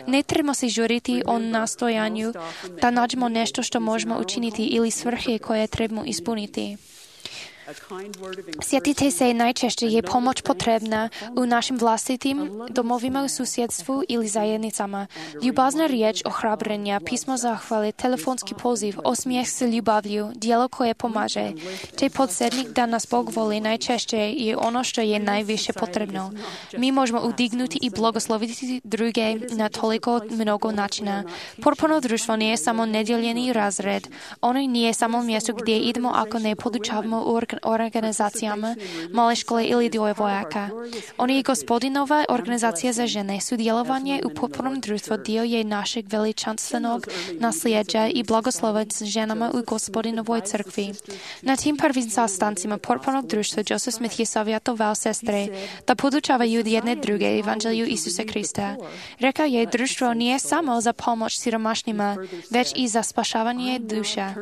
Ne trebamo se žuriti o nastojanju da nađemo nešto što možemo učiniti ili svrhe koje trebamo ispuniti. Sjetite se, najčešće je pomoć potrebna u našim vlastitim domovima, u susjedstvu ili zajednicama. Ljubazna riječ ohrabrenja, pismo zahvale, telefonski poziv, osmijeh s ljubavlju, djelo koje pomaže. Te podsjetnik da nas Bog voli najčešće je ono što je najviše potrebno. Mi možemo udignuti i blagosloviti druge na toliko mnogo načina. Potporno društvo nije samo nedjeljeni razred. Ono nije samo mjesto gdje idemo ako ne podučavamo u organizacijama, male škole ili djevojaka. On je Gospodinova organizacija za žene. Sudjelovanje u potpornom društvu dio je našeg veličanstvenog nasljeđa i blagoslova s ženama u Gospodinovoj crkvi. Na tim prvim sastancima potpornog društva Joseph Smith je savjetoval sestre da podučavaju jedne druge evanđelju Isusa Krista. Rekao je, društvo nije samo za pomoć siromašnima, već i za spašavanje duša.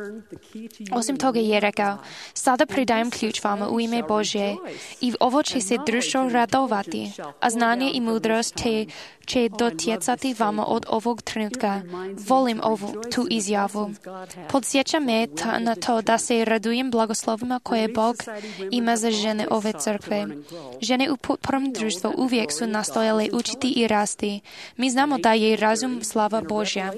Osim toga je rekao, sada predajem ključ vama u ime Božje i ovo će se društvo radovati, a znanje i mudrost te će dotjecati vama od ovog trenutka. Volim ovu tu izjavu. Podsjeća me ta, na to da se radujem blagoslovima koje Bog ima za žene ove crkve. Žene u potpornom društvu uvijek su nastojale učiti i rasti. Mi znamo da je razum slava Božja.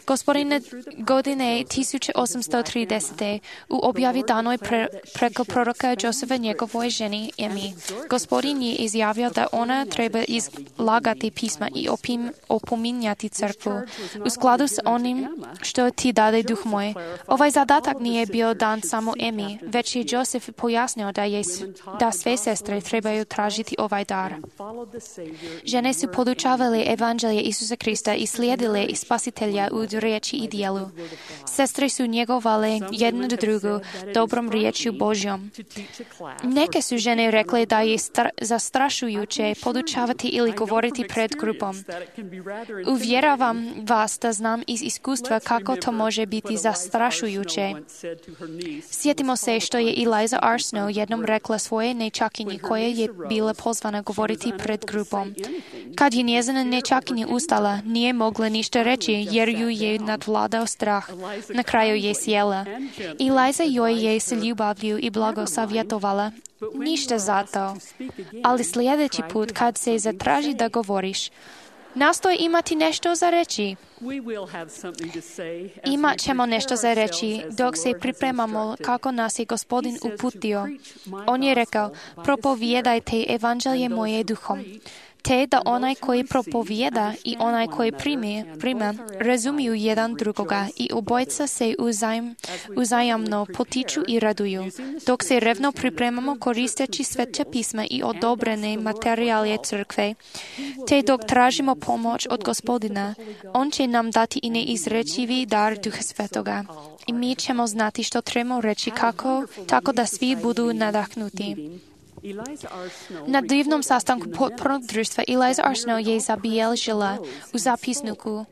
Gospodine godine tisuće osamsto tridesete u objavi danoj pre, preko proroka Josefa njegovoj ženi Emi. Gospodin je izjavio da ona treba izlagati pisma i opim, opominjati crkvu u skladu s onim što ti dade duh moj. Ovaj zadatak nije bio dan samo Emi, već je Josef pojasnio da, je, da sve sestre trebaju tražiti ovaj dar. Žene su podučavale evanđelje Isusa Krista i slijedile spasitelja u riječi i djelu. Sestre su njegovale jednu drugu dobrom riječju Božjom. Neke su žene rekle da je stra- zastrašujuće podučavati ili govoriti pred grupom. Uvjeravam vas da znam iz iskustva kako to može biti zastrašujuće. Sjetimo se što je Eliza R. Snow jednom rekla svoje nečakinji koja je bila pozvana govoriti pred grupom. Kad je njezina nečakinja ustala, nije mogla ništa reći jer ju je nadvladao strah. Na kraju je sjela. Eliza joj je s ljubavlju i blago savjetovala. Ništa za to. Ali sljedeći put kad se zatraži da govoriš, nastoj imati nešto za reći. Imat ćemo nešto za reći dok se pripremamo kako nas je Gospodin uputio. On je rekao, propovijedajte evanđelje moje duhom. Te da onaj koji propovijeda i onaj koji primi, prima razumiju jedan drugoga i obojca se uzajm, uzajamno potiču i raduju, dok se revno pripremamo koristeći Sveta pisma i odobrene materijale crkve, te dok tražimo pomoć od Gospodina, on će nam dati i neizrečivi dar Duha Svetoga. I mi ćemo znati što trebamo reći kako, tako da svi budu nadahnuti. Na divnom sastanku potpornog društva Eliza R. Snow je zabilježila u zapisniku,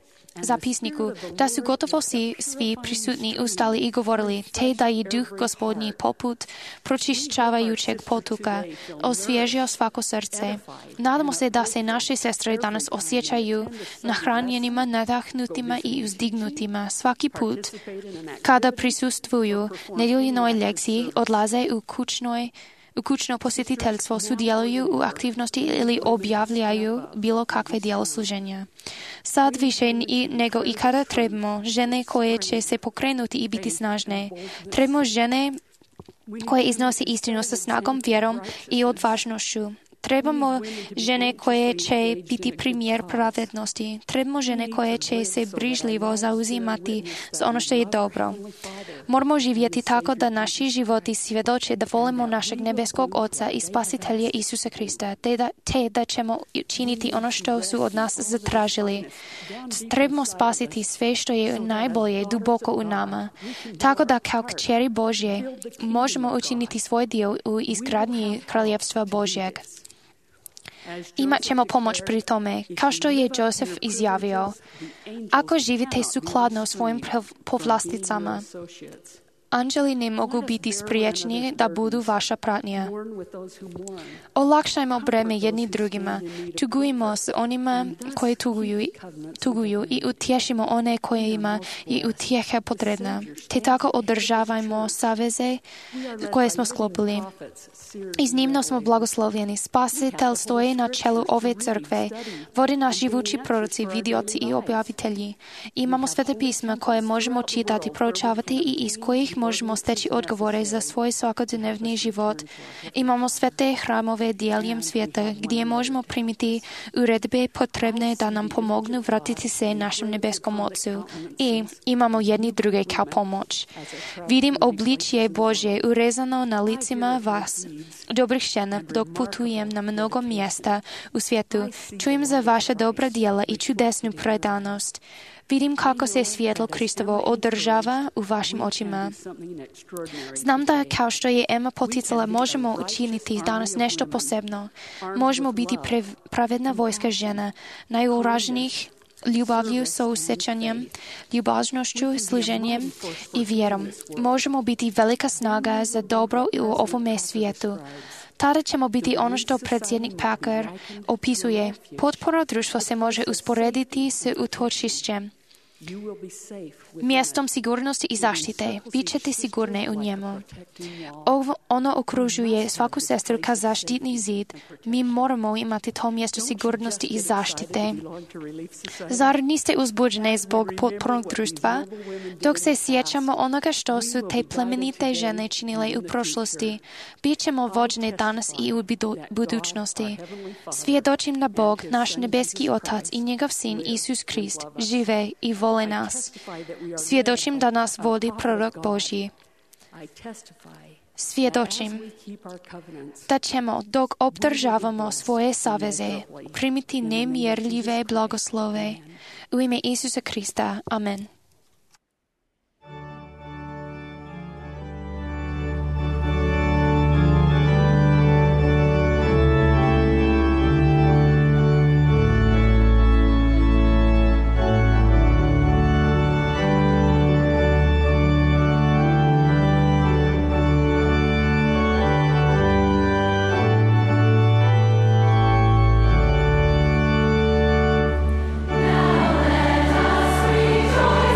zapisniku da su gotovo svi, svi prisutni ustali i govorili, te da je duh Gospodnji poput pročišćavajućeg potoka osvježio svako srce. Nadamo se da se naše sestre danas osjećaju nahranjenima, nadahnutima i uzdignutima svaki put kada prisustvuju nedjeljinoj lekciji, odlaze u kućnoj Ukúčno posjetiteljstvo sudjeluju u aktivnosti ili objavljaju bilo kakve djelo služenja. Sad više i nego ikada trebamo žene koje će se pokrenuti i biti snažne. Trebamo žene koje iznose istinu sa snagom, vjerom i odvažnošću. Trebamo žene koje će biti primjer pravednosti. Trebamo žene koje će se brižljivo zauzimati za ono što je dobro. Moramo živjeti tako da naši životi svjedoče da volimo našeg nebeskog Oca i Spasitelja Isusa Krista, te da, te da ćemo činiti ono što su od nas zatražili. Trebamo spasiti sve što je najbolje duboko u nama, tako da kao kćeri Božje možemo učiniti svoj dio u izgradnji kraljevstva Božjeg. Imat ćemo pomoć pri tome, kao što je Josef izjavio. Ako živite sukladno svojim povlasticama, anđeli ne mogu biti spriječeni da budu vaša pratnja. Olakšajmo breme jedni drugima, tugujmo s onima koji tuguju, tuguju i utješimo one kojima je utjeha potrebna, te tako održavajmo saveze koje smo sklopili. Iznimno smo blagoslovljeni. Spasitelj stoji na čelu ove crkve. Vodi nas živući proroci, vidioci i objavitelji. Imamo svete pisma koje možemo čitati, proučavati i iz kojih možemo steći odgovore za svoj svakodnevni život. Imamo svete hramove diljem svijeta gdje možemo primiti uredbe potrebne da nam pomognu vratiti se našem nebeskom Ocu. I imamo jedni druge kao pomoć. Vidim obličje Božje urezano na licima vas, dobrih žena, dok putujem na mnogo mjesta u svijetu. Čujem za vaše dobra djela i čudesnu predanost. Vidim kako se svjetlo Kristovo održava u vašim očima. Znam da kao što je Emma poticala, možemo učiniti danas nešto posebno. Možemo biti pravedna vojska žena, najuraženijih ljubavlju, sousjećanjem, ljubaznošću, služenjem i vjerom. Možemo biti velika snaga za dobro u ovome svijetu. Tada ćemo biti ono što predsjednik Packer opisuje. Potpuno društvo se može usporediti s utočišćem, mjestom sigurnosti i zaštite. Bit ćete sigurne u njemu. Ovo, ono okružuje svaku sestru kao zaštitni zid. Mi moramo imati to mjesto sigurnosti i zaštite. Zar niste uzbuđene zbog potpornog društva? Dok se sjećamo onoga što su te plemenite žene činile u prošlosti, bit ćemo vođene danas i u budućnosti. Svjedočim da Bog, naš nebeski Otac i njegov Sin Isus Krist žive i vole nas. Svjedočim da nas vodi prorok Božji. Svjedočim da ćemo, dok obdržavamo svoje saveze, primiti nemjerljive blagoslove. U ime Isusa Krista. Amen. Rejoice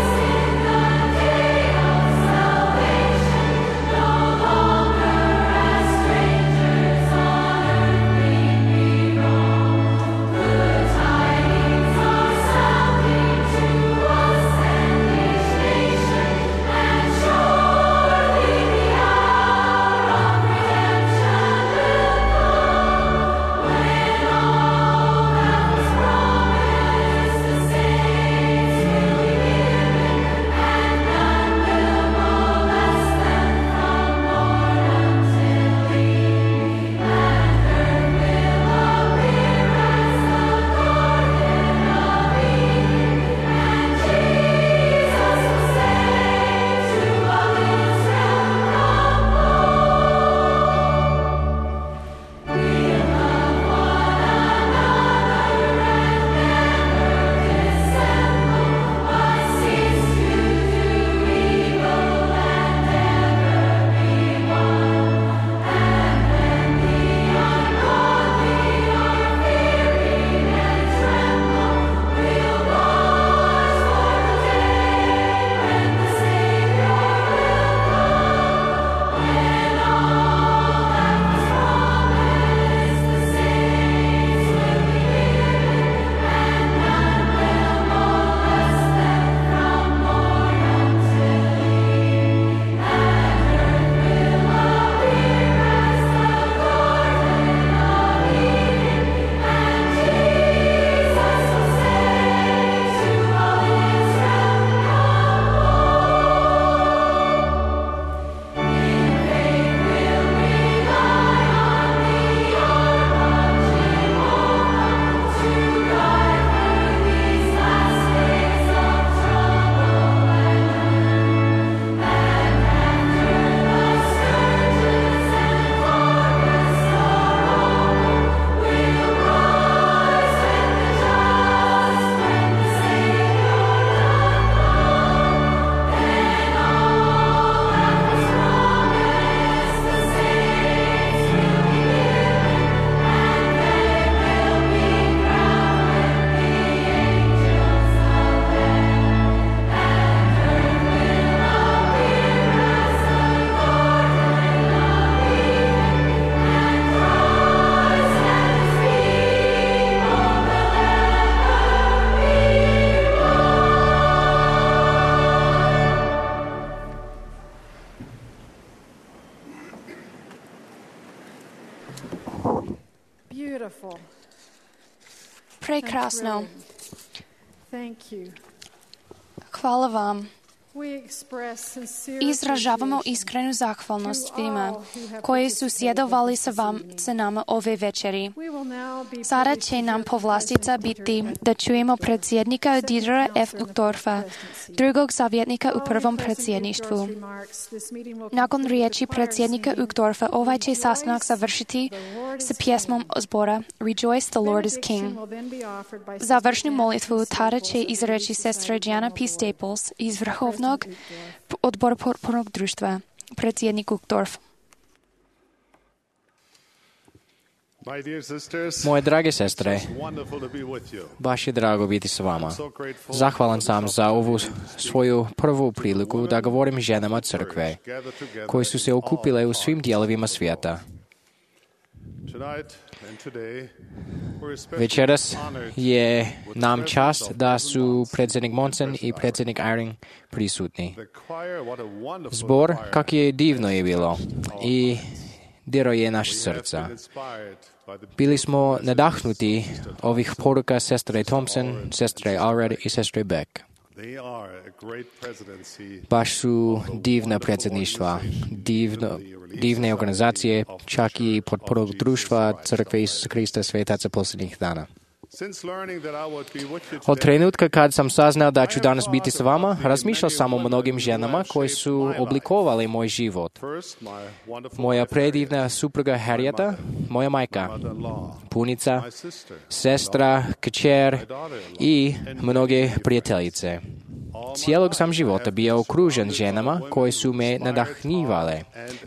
Прекрасно. Thank you. Hvala vam. We express sincere Izražavamo appreciation iskrenu zahvalnost svima koji su sjedovali sa vam sa nama ove večeri. We will now be Sada će nam povlastica biti da čujemo predsjednika Dietera F. Uchtdorfa, drugog savjetnika u prvom predsjedništvu. Nakon riječi predsjednika Uchtdorfa, ovaj će sastanak završiti sa pjesmom zbora Rejoice, the Lord is King. Završnu molitvu tada će izreći sestra Gianna P. Staples iz Vrhovnog odbora potpornog društva, predsjednik Uchtdorf. Moje drage sestre, baš je drago biti s vama. Zahvalan sam za ovu svoju prvu priliku da govorim ženama crkve, koji su se okupile u svim dijelovima svijeta. Večeras je nam čast da su predsjednik Monson i predsjednik Eyring prisutni. Zbor, kak je divno je bilo i diro je naš srca. Bili smo nadahnuti ovih poruka sestre Thompson, sestre Allred i sestre Beck. Baš su divna predsjedništva, divno, divne organizacije, čak i potpornog društva Crkve Isusa Krista svetaca posljednjih dana. Od trenutka kad sam saznao da ću danas biti s vama, razmišljao sam o mnogim ženama koje su oblikovali moj život. Moja predivna supruga Harrieta, moja majka, punica, sestra, kćer i mnoge prijateljice. Cijelog sam života bio okružen ženama koje su me nadahnjivale,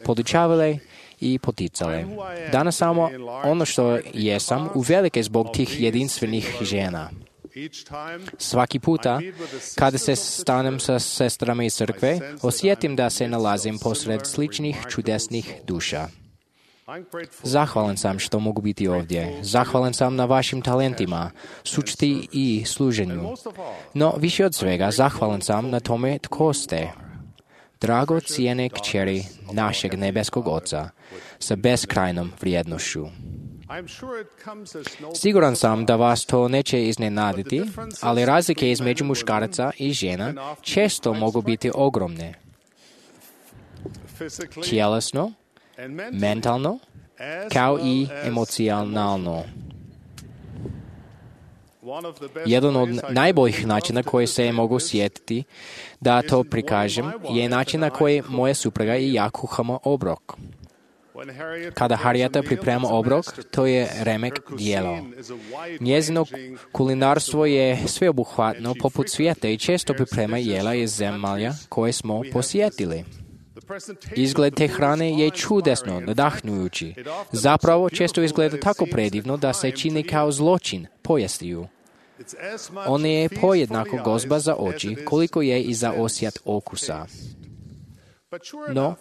podučavale i poticale. Danas samo ono što jesam uvelike zbog tih jedinstvenih žena. Svaki puta kada se stanem sa sestrama iz crkve, osjetim da se nalazim posred sličnih čudesnih duša. Zahvalan sam što mogu biti ovdje. Zahvalan sam na vašim talentima, sučti i služenju. No, više od svega, zahvalan sam na tome tko ste. Drago cijene kćeri našeg nebeskog Oca sa beskrajnom vrijednošću. Siguran sam da vas to neće iznenaditi, ali razlike između muškaraca i žena često mogu biti ogromne. Tjelesno, mentalno, kao i emocionalno. Jedan od najboljih načina koji se mogu sjetiti da to prikažem je način na koji moja supruga i ja kuhamo obrok. Kada Harrieta priprema obrok, to je remek djelo. Njezino kulinarstvo je sveobuhvatno poput svijeta i često priprema jela iz zemalja koje smo posjetili. Izgled te hrane je čudesno, nadahnujući. Zapravo često izgleda tako predivno da se čini kao zločin pojesti ju. Ona je pojednako gozba za oči koliko je i za osjet okusa. No,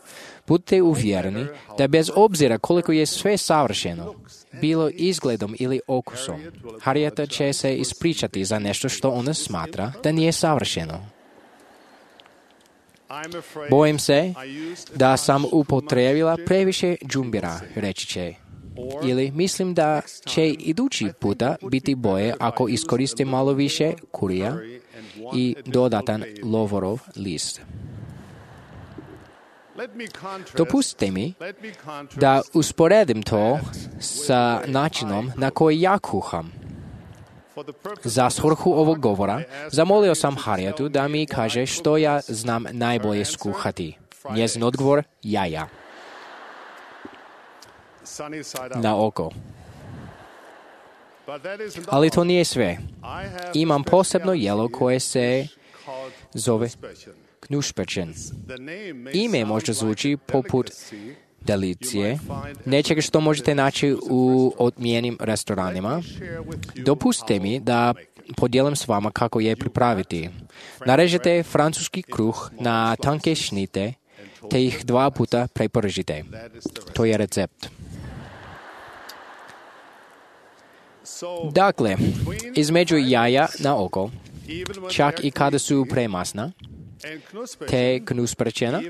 budite uvjereni da bez obzira koliko je sve savršeno, bilo izgledom ili okusom, Harrieta će se ispričati za nešto što ona smatra da nije savršeno. Bojim se da sam upotrijebila previše džumbira, reći će. Ili mislim da će idući puta biti bolje ako iskoristim malo više kurija i dodatan lovorov list. Dopustite mi da usporedim to sa načinom na koji ja kuham. Za svrhu ovog govora zamolio sam Harrietu da mi kaže što ja znam najbolje skuhati. Njezin odgovor, jaja. Na oko. Ali to nije sve. Imam posebno jelo koje se zove knušpečen. Ime možda zvuči poput delicije, nečega što možete naći u odmijenim restoranima. Dopustite mi da podijelim s vama kako je pripraviti. Narežete francuski kruh na tanke šnite, te ih dva puta prepržite. To je recept. Dakle, između jaja na oko, čak i kada su premasna, te knuspečena,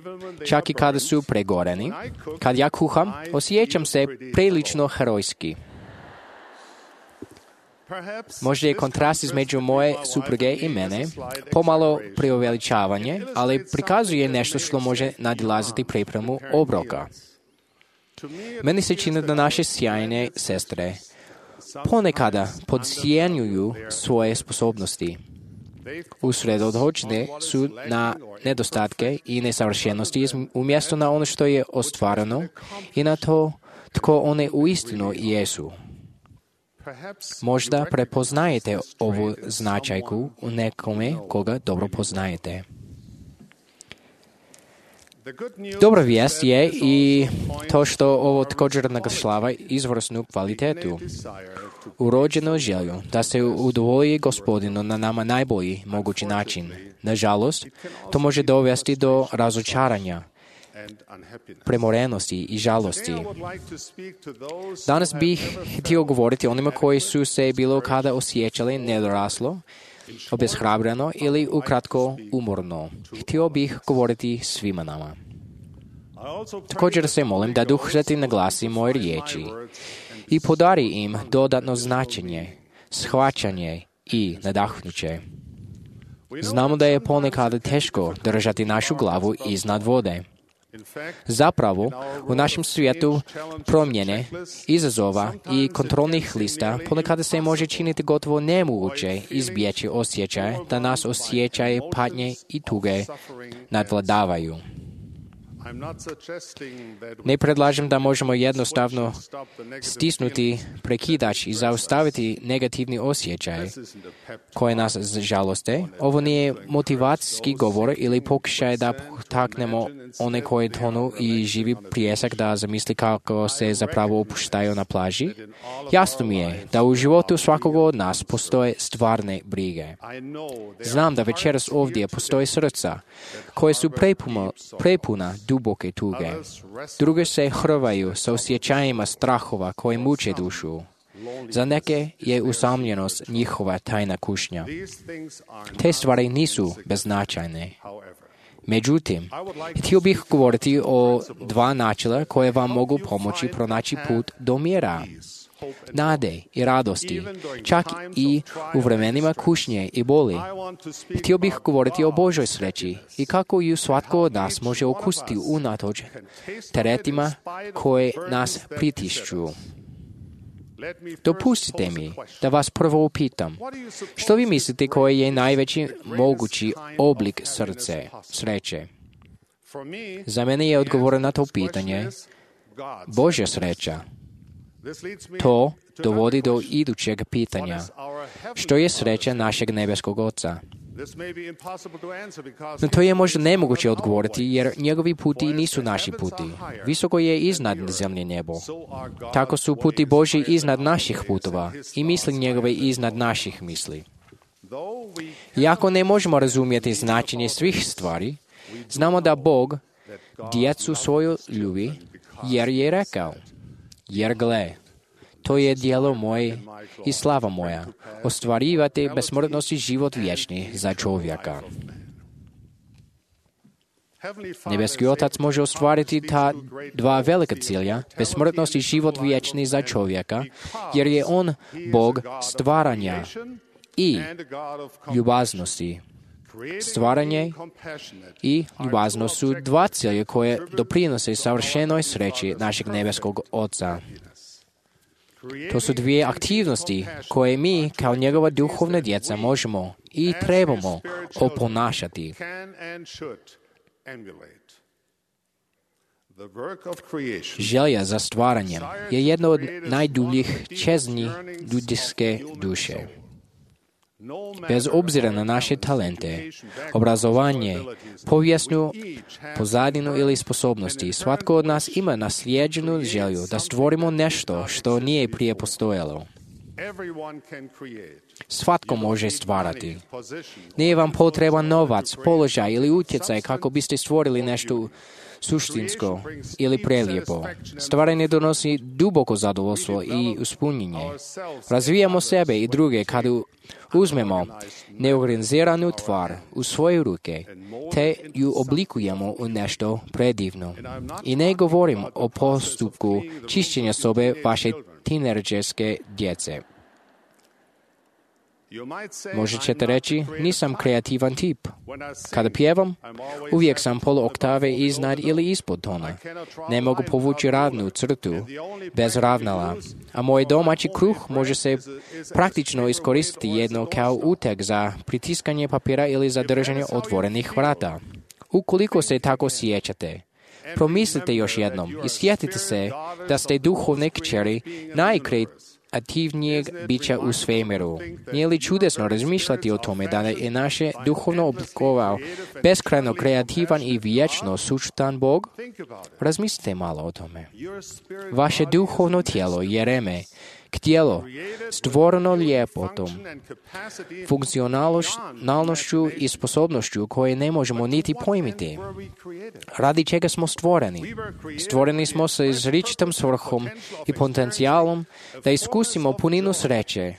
čak i kada su pregoreni, kad ja kuham, osjećam se prilično herojski. Možda je kontrast između moje supruge i mene pomalo preuveličavanje, ali prikazuje nešto što može nadilaziti pripremu obroka. Meni se čini da naše sjajne sestre ponekada podcijenjuju svoje sposobnosti. Usredotočene su na nedostatke i nesavršenosti umjesto na ono što je ostvareno i na to tko one uistinu jesu. Možda prepoznajete ovu značajku u nekome koga dobro poznajete. Dobra vijest je i to što ovo također naglašava izvrsnu kvalitetu, urođenu želju da se udovolji Gospodinu na nama najbolji mogući način. Nažalost, to može dovesti do razočaranja, premorenosti i žalosti. Danas bih htio govoriti onima koji su se bilo kada osjećali nedoraslo, obeshrabreno ili ukratko umorno. Htio bih govoriti svima nama. Također se molim da Duh Sveti naglasi moje riječi i podari im dodatno značenje, shvaćanje i nadahnuće. Znamo da je ponekad teško držati našu glavu iznad vode. Zapravo, u našem svijetu promjene, izazova i kontrolnih lista ponekad se može činiti gotovo nemoguće izbjeći osjećaje da nas osjećaje patnje i tuge nadvladavaju. Ne predlažem da možemo jednostavno stisnuti prekidač i zaustaviti negativni osjećaj koje nas žaloste. Ovo nije motivacijski govor ili pokušaj da potaknemo one koje tonu i živi prijesak da zamisli kako se zapravo opuštaju na plaži. Jasno mi je da u životu svakog od nas postoje stvarne brige. Znam da večeras ovdje postoje srca koje su prepuna, prepuna duboke tuge. Druge se hrvaju sa osjećajima strahova koje muče dušu. Za neke je usamljenost njihova tajna kušnja. Te stvari nisu beznačajne. Međutim, htio bih govoriti o dva načela koje vam mogu pomoći pronaći put do mira, nade i radosti, čak i u vremenima kušnje i boli. Htio bih govoriti o Božoj sreći i kako ju svatko od nas može okusiti unatoč teretima koje nas pritišću. Dopustite mi da vas prvo upitam, što vi mislite koji je najveći mogući oblik srce, sreće? Za mene je odgovor na to pitanje Božja sreća. To dovodi do idućeg pitanja. Što je sreća našeg nebeskog Oca? No to je možda nemoguće odgovoriti jer njegovi puti nisu naši puti. Visoko je iznad zemlje nebo. Tako su puti Božji iznad naših putova i misli njegove iznad naših misli. Iako ne možemo razumjeti značenje svih stvari, znamo da Bog djecu svoju ljubi jer je rekao, jer gle, to je djelo moje i slava moja, ostvarivati besmrtnost i život vječni za čovjeka. Nebeski Otac može ostvariti ta dva velika cilja, besmrtnost i život vječni za čovjeka, jer je on Bog stvaranja i ljubaznosti. Stvaranje i ljubaznost su dva cilja koje doprinose savršenoj sreći našeg nebeskog Oca. To su dvije aktivnosti koje mi kao njegova duhovna djeca možemo i trebamo oponašati. Želja za stvaranjem je jedna od najdubljih čezni ljudske duše. Bez obzira na naše talente, obrazovanje, povijesnu pozadinu ili sposobnosti, svatko od nas ima naslijeđenu želju da stvorimo nešto što nije prije postojalo. Svatko može stvarati. Nije vam potreban novac, položaj ili utjecaj kako biste stvorili nešto suštinsko ili prelijepo. Stvaranje donosi duboko zadovoljstvo i ispunjenje. Razvijamo sebe i druge kada uzmemo neorganiziranu tvar u svoje ruke, te ju oblikujemo u nešto predivno. I ne govorim o postupku čišćenja sobe vaše tinejdžerske djece. Možda ćete reći, nisam kreativan tip. Kada pjevam, uvijek sam polu oktave iznad ili ispod tona. Ne mogu povući ravnu crtu bez ravnala, a moj domaći kruh može se praktično iskoristiti jedno kao uteg za pritiskanje papira ili za držanje otvorenih vrata. Ukoliko se tako sjećate, promislite još jednom i sjetite se da ste duhovne kćeri najkreativnijeg bića u svemiru. Nije li čudesno razmišljati o tome da je naše duhovno oblikovao beskrajno kreativan i vječno sućutan Bog? Razmislite malo o tome. Vaše duhovno tijelo je reme, tijelo stvoreno ljepotom, funkcionalnošću i sposobnošću koje ne možemo niti pojmiti. Radi čega smo stvoreni? Stvoreni smo sa izričitom svrhom i potencijalom da iskusimo puninu sreće.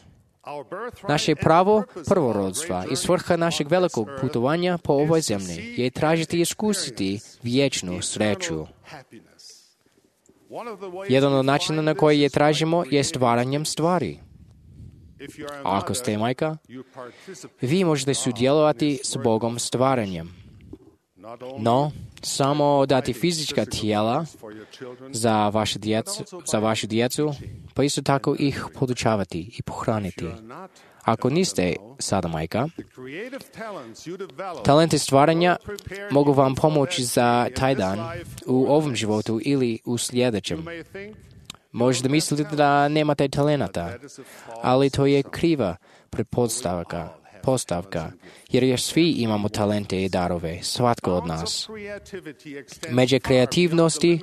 Naše pravo prvorodstva i svrha našeg velikog putovanja po ovoj zemlji je tražiti i iskusiti vječnu sreću. Jedan od načina na koji je tražimo je stvaranjem stvari. A ako ste majka, vi možete sudjelovati s Bogom stvaranjem. No, samo dati fizička tijela za vašu djecu, za vašu djecu, pa isto tako ih podučavati i pohraniti. Ako niste sada majka, talenti stvaranja mogu vam pomoći za taj dan u ovom životu ili u sljedećem. Možda mislite da nemate talenata, ali to je kriva pretpostavka. Postavka, jer još svi imamo talente i darove, svatko od nas. Međe kreativnosti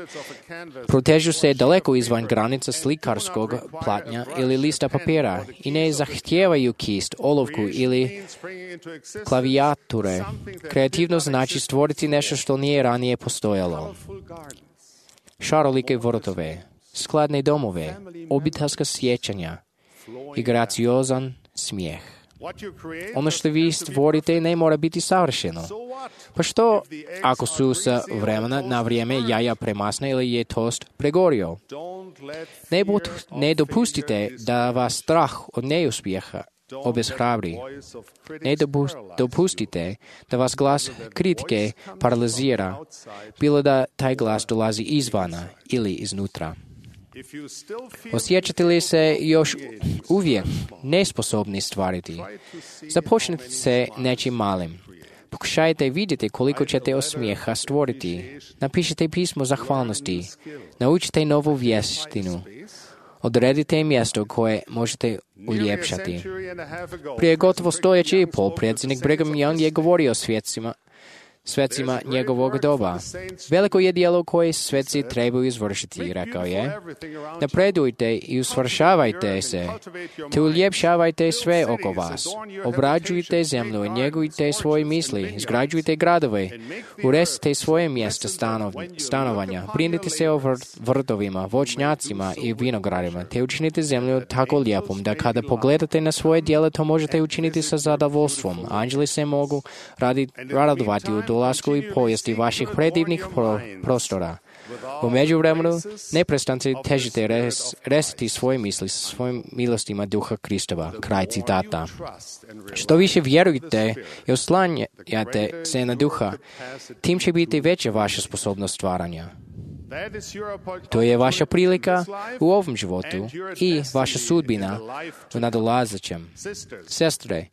protežu se daleko izvan granica slikarskog platnja ili lista papira i ne zahtijevaju kist, olovku ili klavijature. Kreativnost znači stvoriti nešto što nije ranije postojalo. Šarolike vrtove, skladne domove, obiteljska sjećanja i graciozan smijeh. Ono što vi stvorite ne mora biti savršeno. Pa što ako su sa vremena na vrijeme jaja premasne ili je tost pregorio? Ne, but, ne dopustite da vas strah od neuspjeha obeshrabri. Ne dopustite da vas glas kritike paralizira, bilo da taj glas dolazi izvana ili iznutra. Osjećate li se još uvijek nesposobni stvariti? Započnite se nečim malim. Pokušajte vidjeti koliko ćete osmijeha stvoriti. Napišite pismo zahvalnosti. Naučite novu vještinu. Odredite mjesto koje možete uljepšati. Prije gotovo stoljeće i pol predsjednik Brigham Young je govorio o svjetcima svecima njegovog doba. Veliko je djelo koje sveci trebaju izvršiti, rekao je. Napredujte i usvršavajte se, te uljepšavajte sve oko vas. Obrađujte zemlju, njegujte svoje misli, izgrađujte gradove, uresite svoje mjesta stanov, stanovanja, brinite se o vrtovima, voćnjacima i vinogradima, te učinite zemlju tako lijepom da kada pogledate na svoje djelo, to možete učiniti sa zadovoljstvom. Anđeli se mogu radovati u dolasku i povijesti vaših predivnih pro, prostora. U međuvremenu neprestance težite res, resiti svoje misli sa svojim milostima Duha Kristova. Kraj citata. Što više vjerujete i oslanjate se na Duha, tim će biti veća vaša sposobnost stvaranja. To je vaša prilika u ovom životu i vaša sudbina u nadolazećem. Sestre,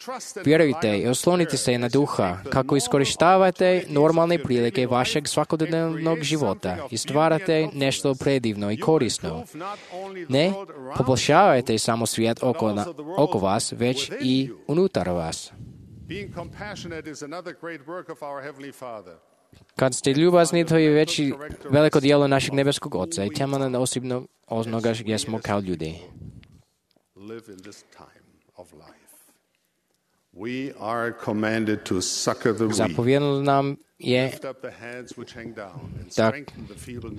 vjerujte i oslonite se na Duha kako iskorištavate normalne prilike vašeg svakodnevnog života i stvarate nešto predivno i korisno. Ne poboljšavajte samo svijet oko, na, oko vas, već i unutar vas. Kad ste ljubazni, to je veći veliko djelo našeg nebeskog Oca i temeljna osobnog onoga gdje smo kao ljudi. Zapovjedno nam je da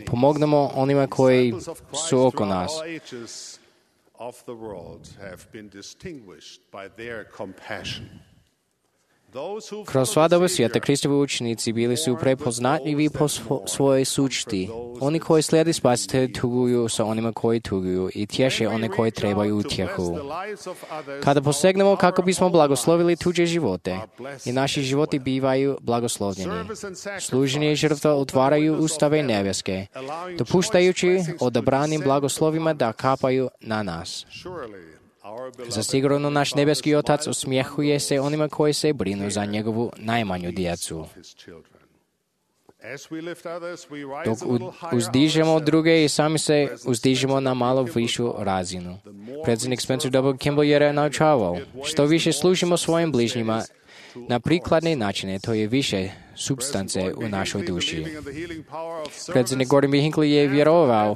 pomognemo onima koji su oko nas. Kroz sva doba svijeta Kristovi učenici bili su prepoznatljivi po svojoj sučti. Oni koji slijedi spasitelja tuguju sa onima koji tuguju i tješe one koji trebaju utjehu. Kada posegnemo kako bismo blagoslovili tuđe živote, i naši životi bivaju blagoslovljeni. Služenje i žrtva otvaraju ustave nebeske, dopuštajući odabranim blagoslovima da kapaju na nas. Zasigurno naš nebeski Otac osmjehuje se onima koji se brinu za njegovu najmanju djecu. Dok uzdižemo druge i sami se uzdižemo na malo višu razinu. Predsjednik Spencer W. Kimball je naučavao, što više služimo svojim bližnjima na prikladne načine, to je više supstance u našoj duši. Predsjednik Gordon B. Hinckley je vjerovao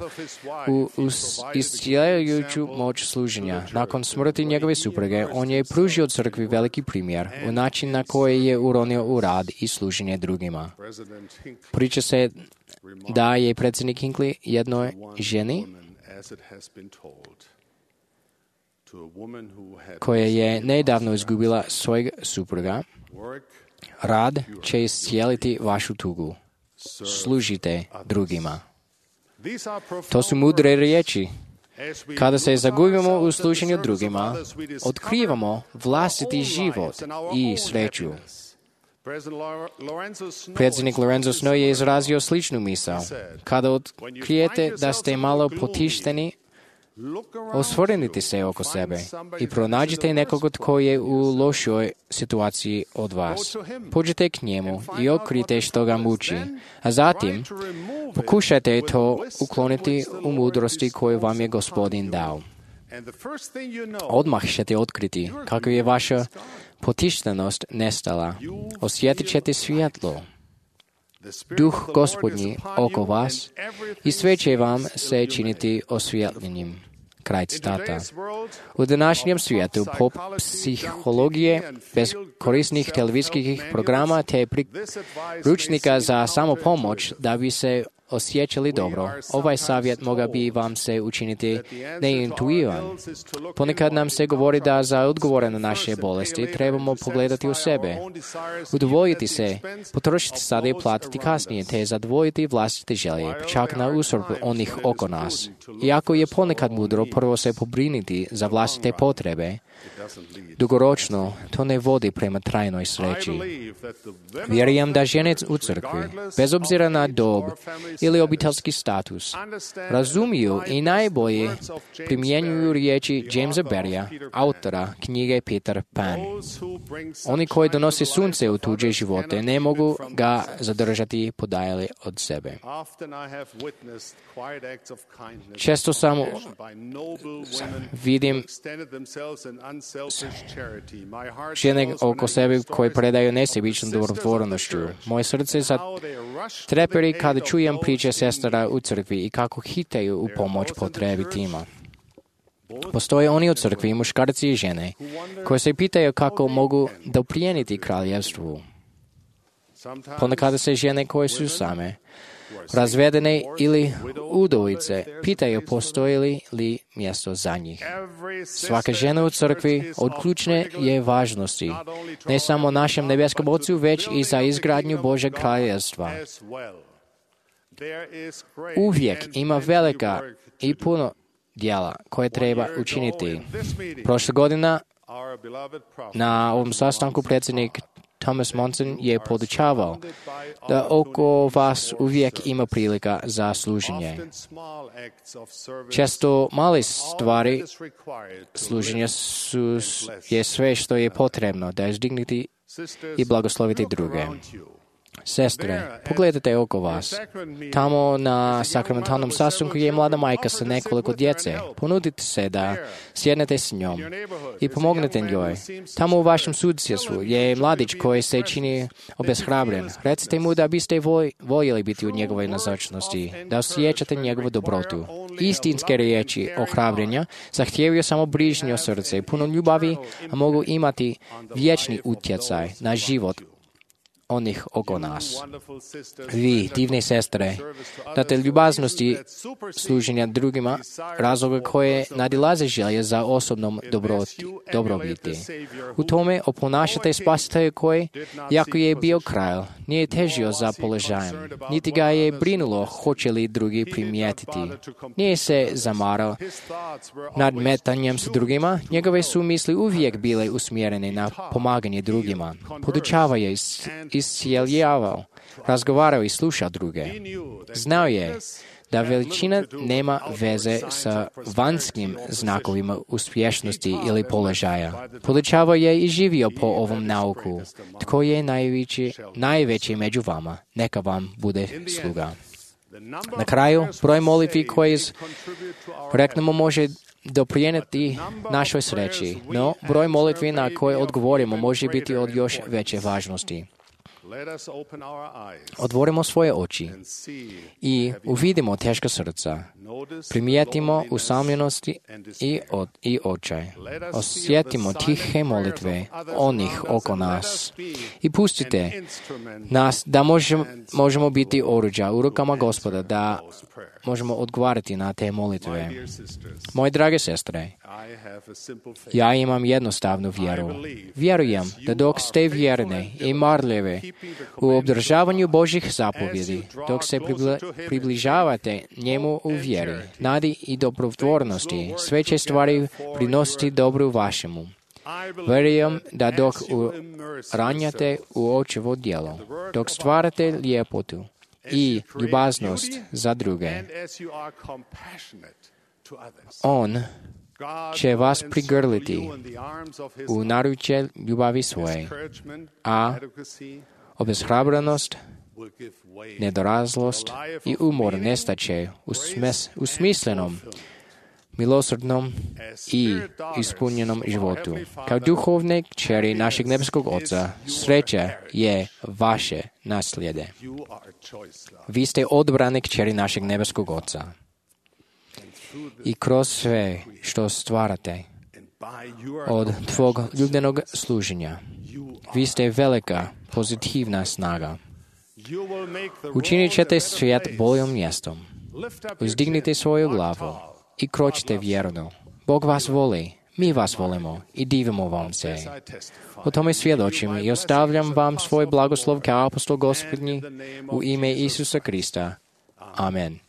u, u iscijeljujuću moć služenja. Nakon smrti njegove supruge, on je pružio crkvi veliki primjer u način na koji je uronio u rad i služenje drugima. Priča se da je predsjednik Hinckley jednoj ženi koja je nedavno izgubila svojeg supruga, rad će iscijeliti vašu tugu. Služite drugima. To su mudre riječi. Kada se zagubimo u služenju drugima, otkrivamo vlastiti život i sreću. Predsjednik Lorenzo Snow je izrazio sličnu misao. Kada otkrijete da ste malo potišteni, osvrnite se oko sebe i pronađite nekoga tko je u lošoj situaciji od vas. Pođite k njemu i otkrite što ga muči, a zatim pokušajte to ukloniti u mudrosti koju vam je Gospodin dao. Odmah ćete otkriti kako je vaša potištenost nestala. Osjetit ćete svjetlo. Duh Gospodnji oko vas i sve će vam se činiti osvjetljenim. Kraj citata. U današnjem svijetu pop psihologije, bez korisnih televizijskih programa te priručnika za samopomoć da bi se osjećali dobro, ovaj savjet mogao bi vam se učiniti neintuivan. Ponekad nam se govori da za odgovore na naše bolesti trebamo pogledati u sebe, udovoljiti se, potrošiti sada i platiti kasnije, te zadovoljiti vlastite želje, čak na uštrb onih oko nas. Iako je ponekad mudro prvo se pobriniti za vlastite potrebe, dugoročno to ne vodi prema trajnoj sreći. Vjerujem da žene u crkvi, bez obzira na dob ili obiteljski status, razumiju i najbolje primjenjuju riječi Jamesa Barrya, autora knjige Peter Pan. Oni koji donose sunce u tuđe živote ne mogu ga zadržati podalje od sebe. Često sam vidim žene oko sebe koje predaju nesebičnom dobrotvornošću. Moje srce zatreperi kada čujem priče sestara u crkvi i kako hitaju u pomoć potrebitima. Postoje oni u crkvi, muškarci i žene, koji se pitaju kako mogu doprijeniti kraljevstvu. Ponekada se žene koje su same, razvedene ili udovice, pitaju postoji li mjesto za njih. Svaka žena u crkvi od ključne je važnosti, ne samo našem nebeskom Ocu, već i za izgradnju Božeg kraljevstva. Uvijek ima velika i puno djela koje treba učiniti. Prošle godina na ovom sastanku predsjednik Thomas Monson je podučavao da oko vas uvijek ima prilika za služenje. Često male stvari služenja su, je sve što je potrebno da izdigniti i blagosloviti druge. Sestre, pogledajte oko vas. Tamo na sakramentalnom sastanku je mlada majka sa nekoliko djece. Ponudite se da sjednete s njom i pomognete njoj. Tamo u vašem susjedstvu je mladić koji se čini obeshrabren. Recite mu da biste voljeli biti u njegovoj nazočnosti, da osjećate njegovu dobrotu. Istinske riječi ohrabrenja zahtijevaju samo brižnje srce, puno ljubavi, a mogu imati vječni utjecaj na život onih oko nas. Vi, divne sestre, date ljubaznosti služenja drugima, razloga koje nadilaze želje za osobnom dobroti, dobrobiti. U tome oponašate spasitelja koji, jako je bio kralj, nije težio za položajem, niti ga je brinulo hoće li drugi primijetiti. Nije se zamarao nadmetanjem s drugima, njegove su misli uvijek bile usmjerene na pomaganje drugima. Podučavao je, iscijeljavao, razgovarao i slušao druge. Znao je da veličina nema veze sa vanjskim znakovima uspješnosti ili položaja. Podučavao je i živio po ovom nauku. Tko je najveći, najveći među vama, neka vam bude sluga. Na kraju, broj molitvi koje reknemo može doprinijeti našoj sreći, no broj molitvi na koje odgovorimo može biti od još veće važnosti. Otvorimo svoje oči i uvidimo teška srca. Primijetimo usamljenosti i, od, i očaj. Osjetimo tihe molitve onih oko nas. I pustite nas da možemo, možemo biti oruđa u rukama Gospoda, da možemo odgovarati na te molitve. Moje drage sestre, ja imam jednostavnu vjeru. Vjerujem da dok ste vjerne i marljive u obdržavanju Božjih zapovjedi, dok se približavate njemu u vjeri, nadi i dobrotvornosti, sve će stvari prinositi dobru vašemu. Vjerujem da dok ranjate u očevo djelo, dok stvarate ljepotu i ljubaznost za druge, On će vas prigrliti u naručje ljubavi svoje, a obeshrabrenost, nedorazlost i umor nestaće u, smes, u smislenom, milosrdnom i ispunjenom životu. Kao duhovne kćeri našeg nebeskog Oca, sreća je vaše naslijede. Vi ste odabrane kćeri našeg nebeskog Oca. I kroz sve što stvarate od tvog ljubljenog služenja, vi ste velika, pozitivna snaga. Učinit ćete svijet boljim mjestom. Uzdignite svoju glavu i kročite vjerno. Bog vas voli, mi vas volimo i divimo vam se. O tome svjedočim i ostavljam vam svoj blagoslov kao apostol Gospodnji u ime Isusa Krista. Amen.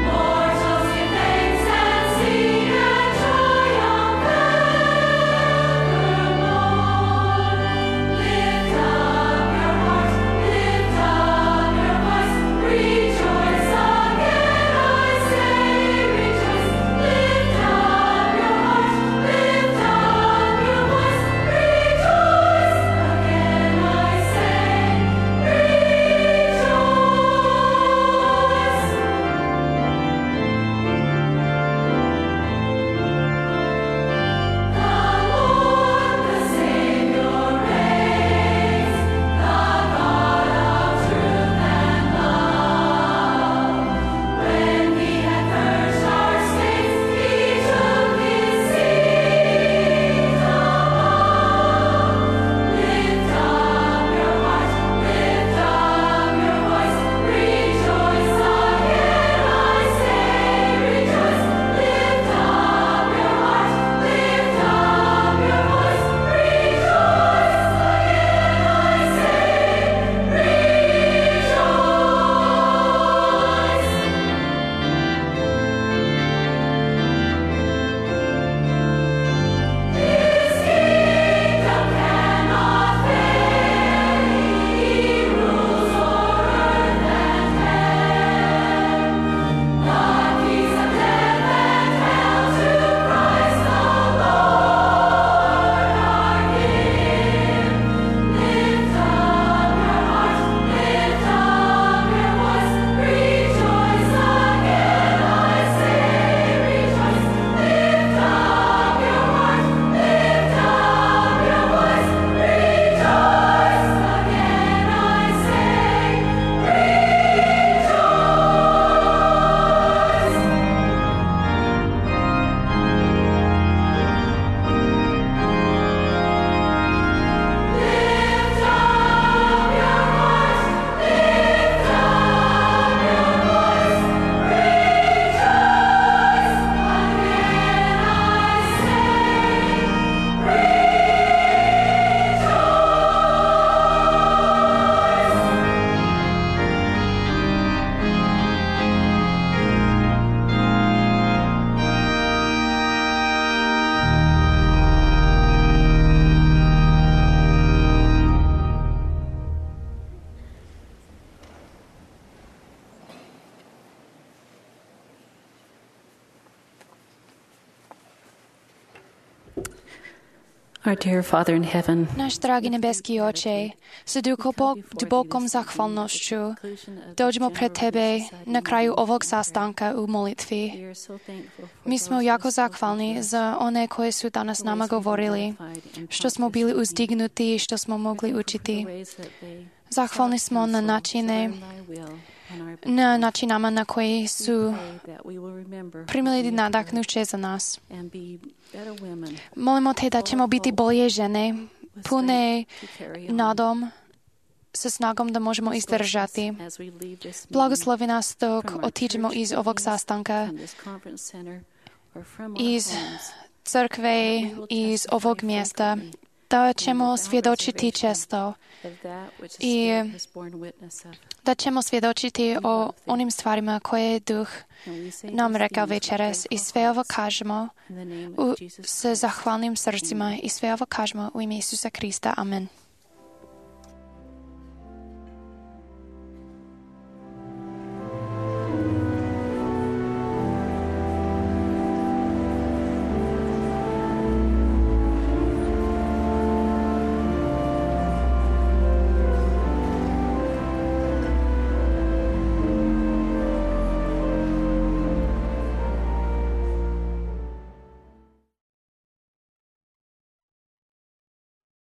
Mortals give thanks and sing and triumph. Our dear Father in heaven, Náš drahý nebeský Oče, s dubokom zachvalnosťou dojdeme pred Tebe na kraju ovog sastanka u molitvi. My sme jako zachvalní za one, koje sú danas nama govorili, što smo bili uzdignutí, što smo mogli učiti. Zachvalní smo na načine, na načinama, na koji sú primili nadahnuće za nás. Molimo Te da ćemo biti bolje žene, pune nadom, sa snagom da možemo izdržati. Blagoslovi nas dok otiđemo iz ovog sastanka, iz crkve, iz ovog mjesta, da ćemo svjedočiti često i da ćemo svjedočiti o onim stvarima koje je Duh nam rekao večeras i sve ovo kažemo u, s zahvalnim srcima i sve ovo kažemo u ime Isusa Krista. Amen.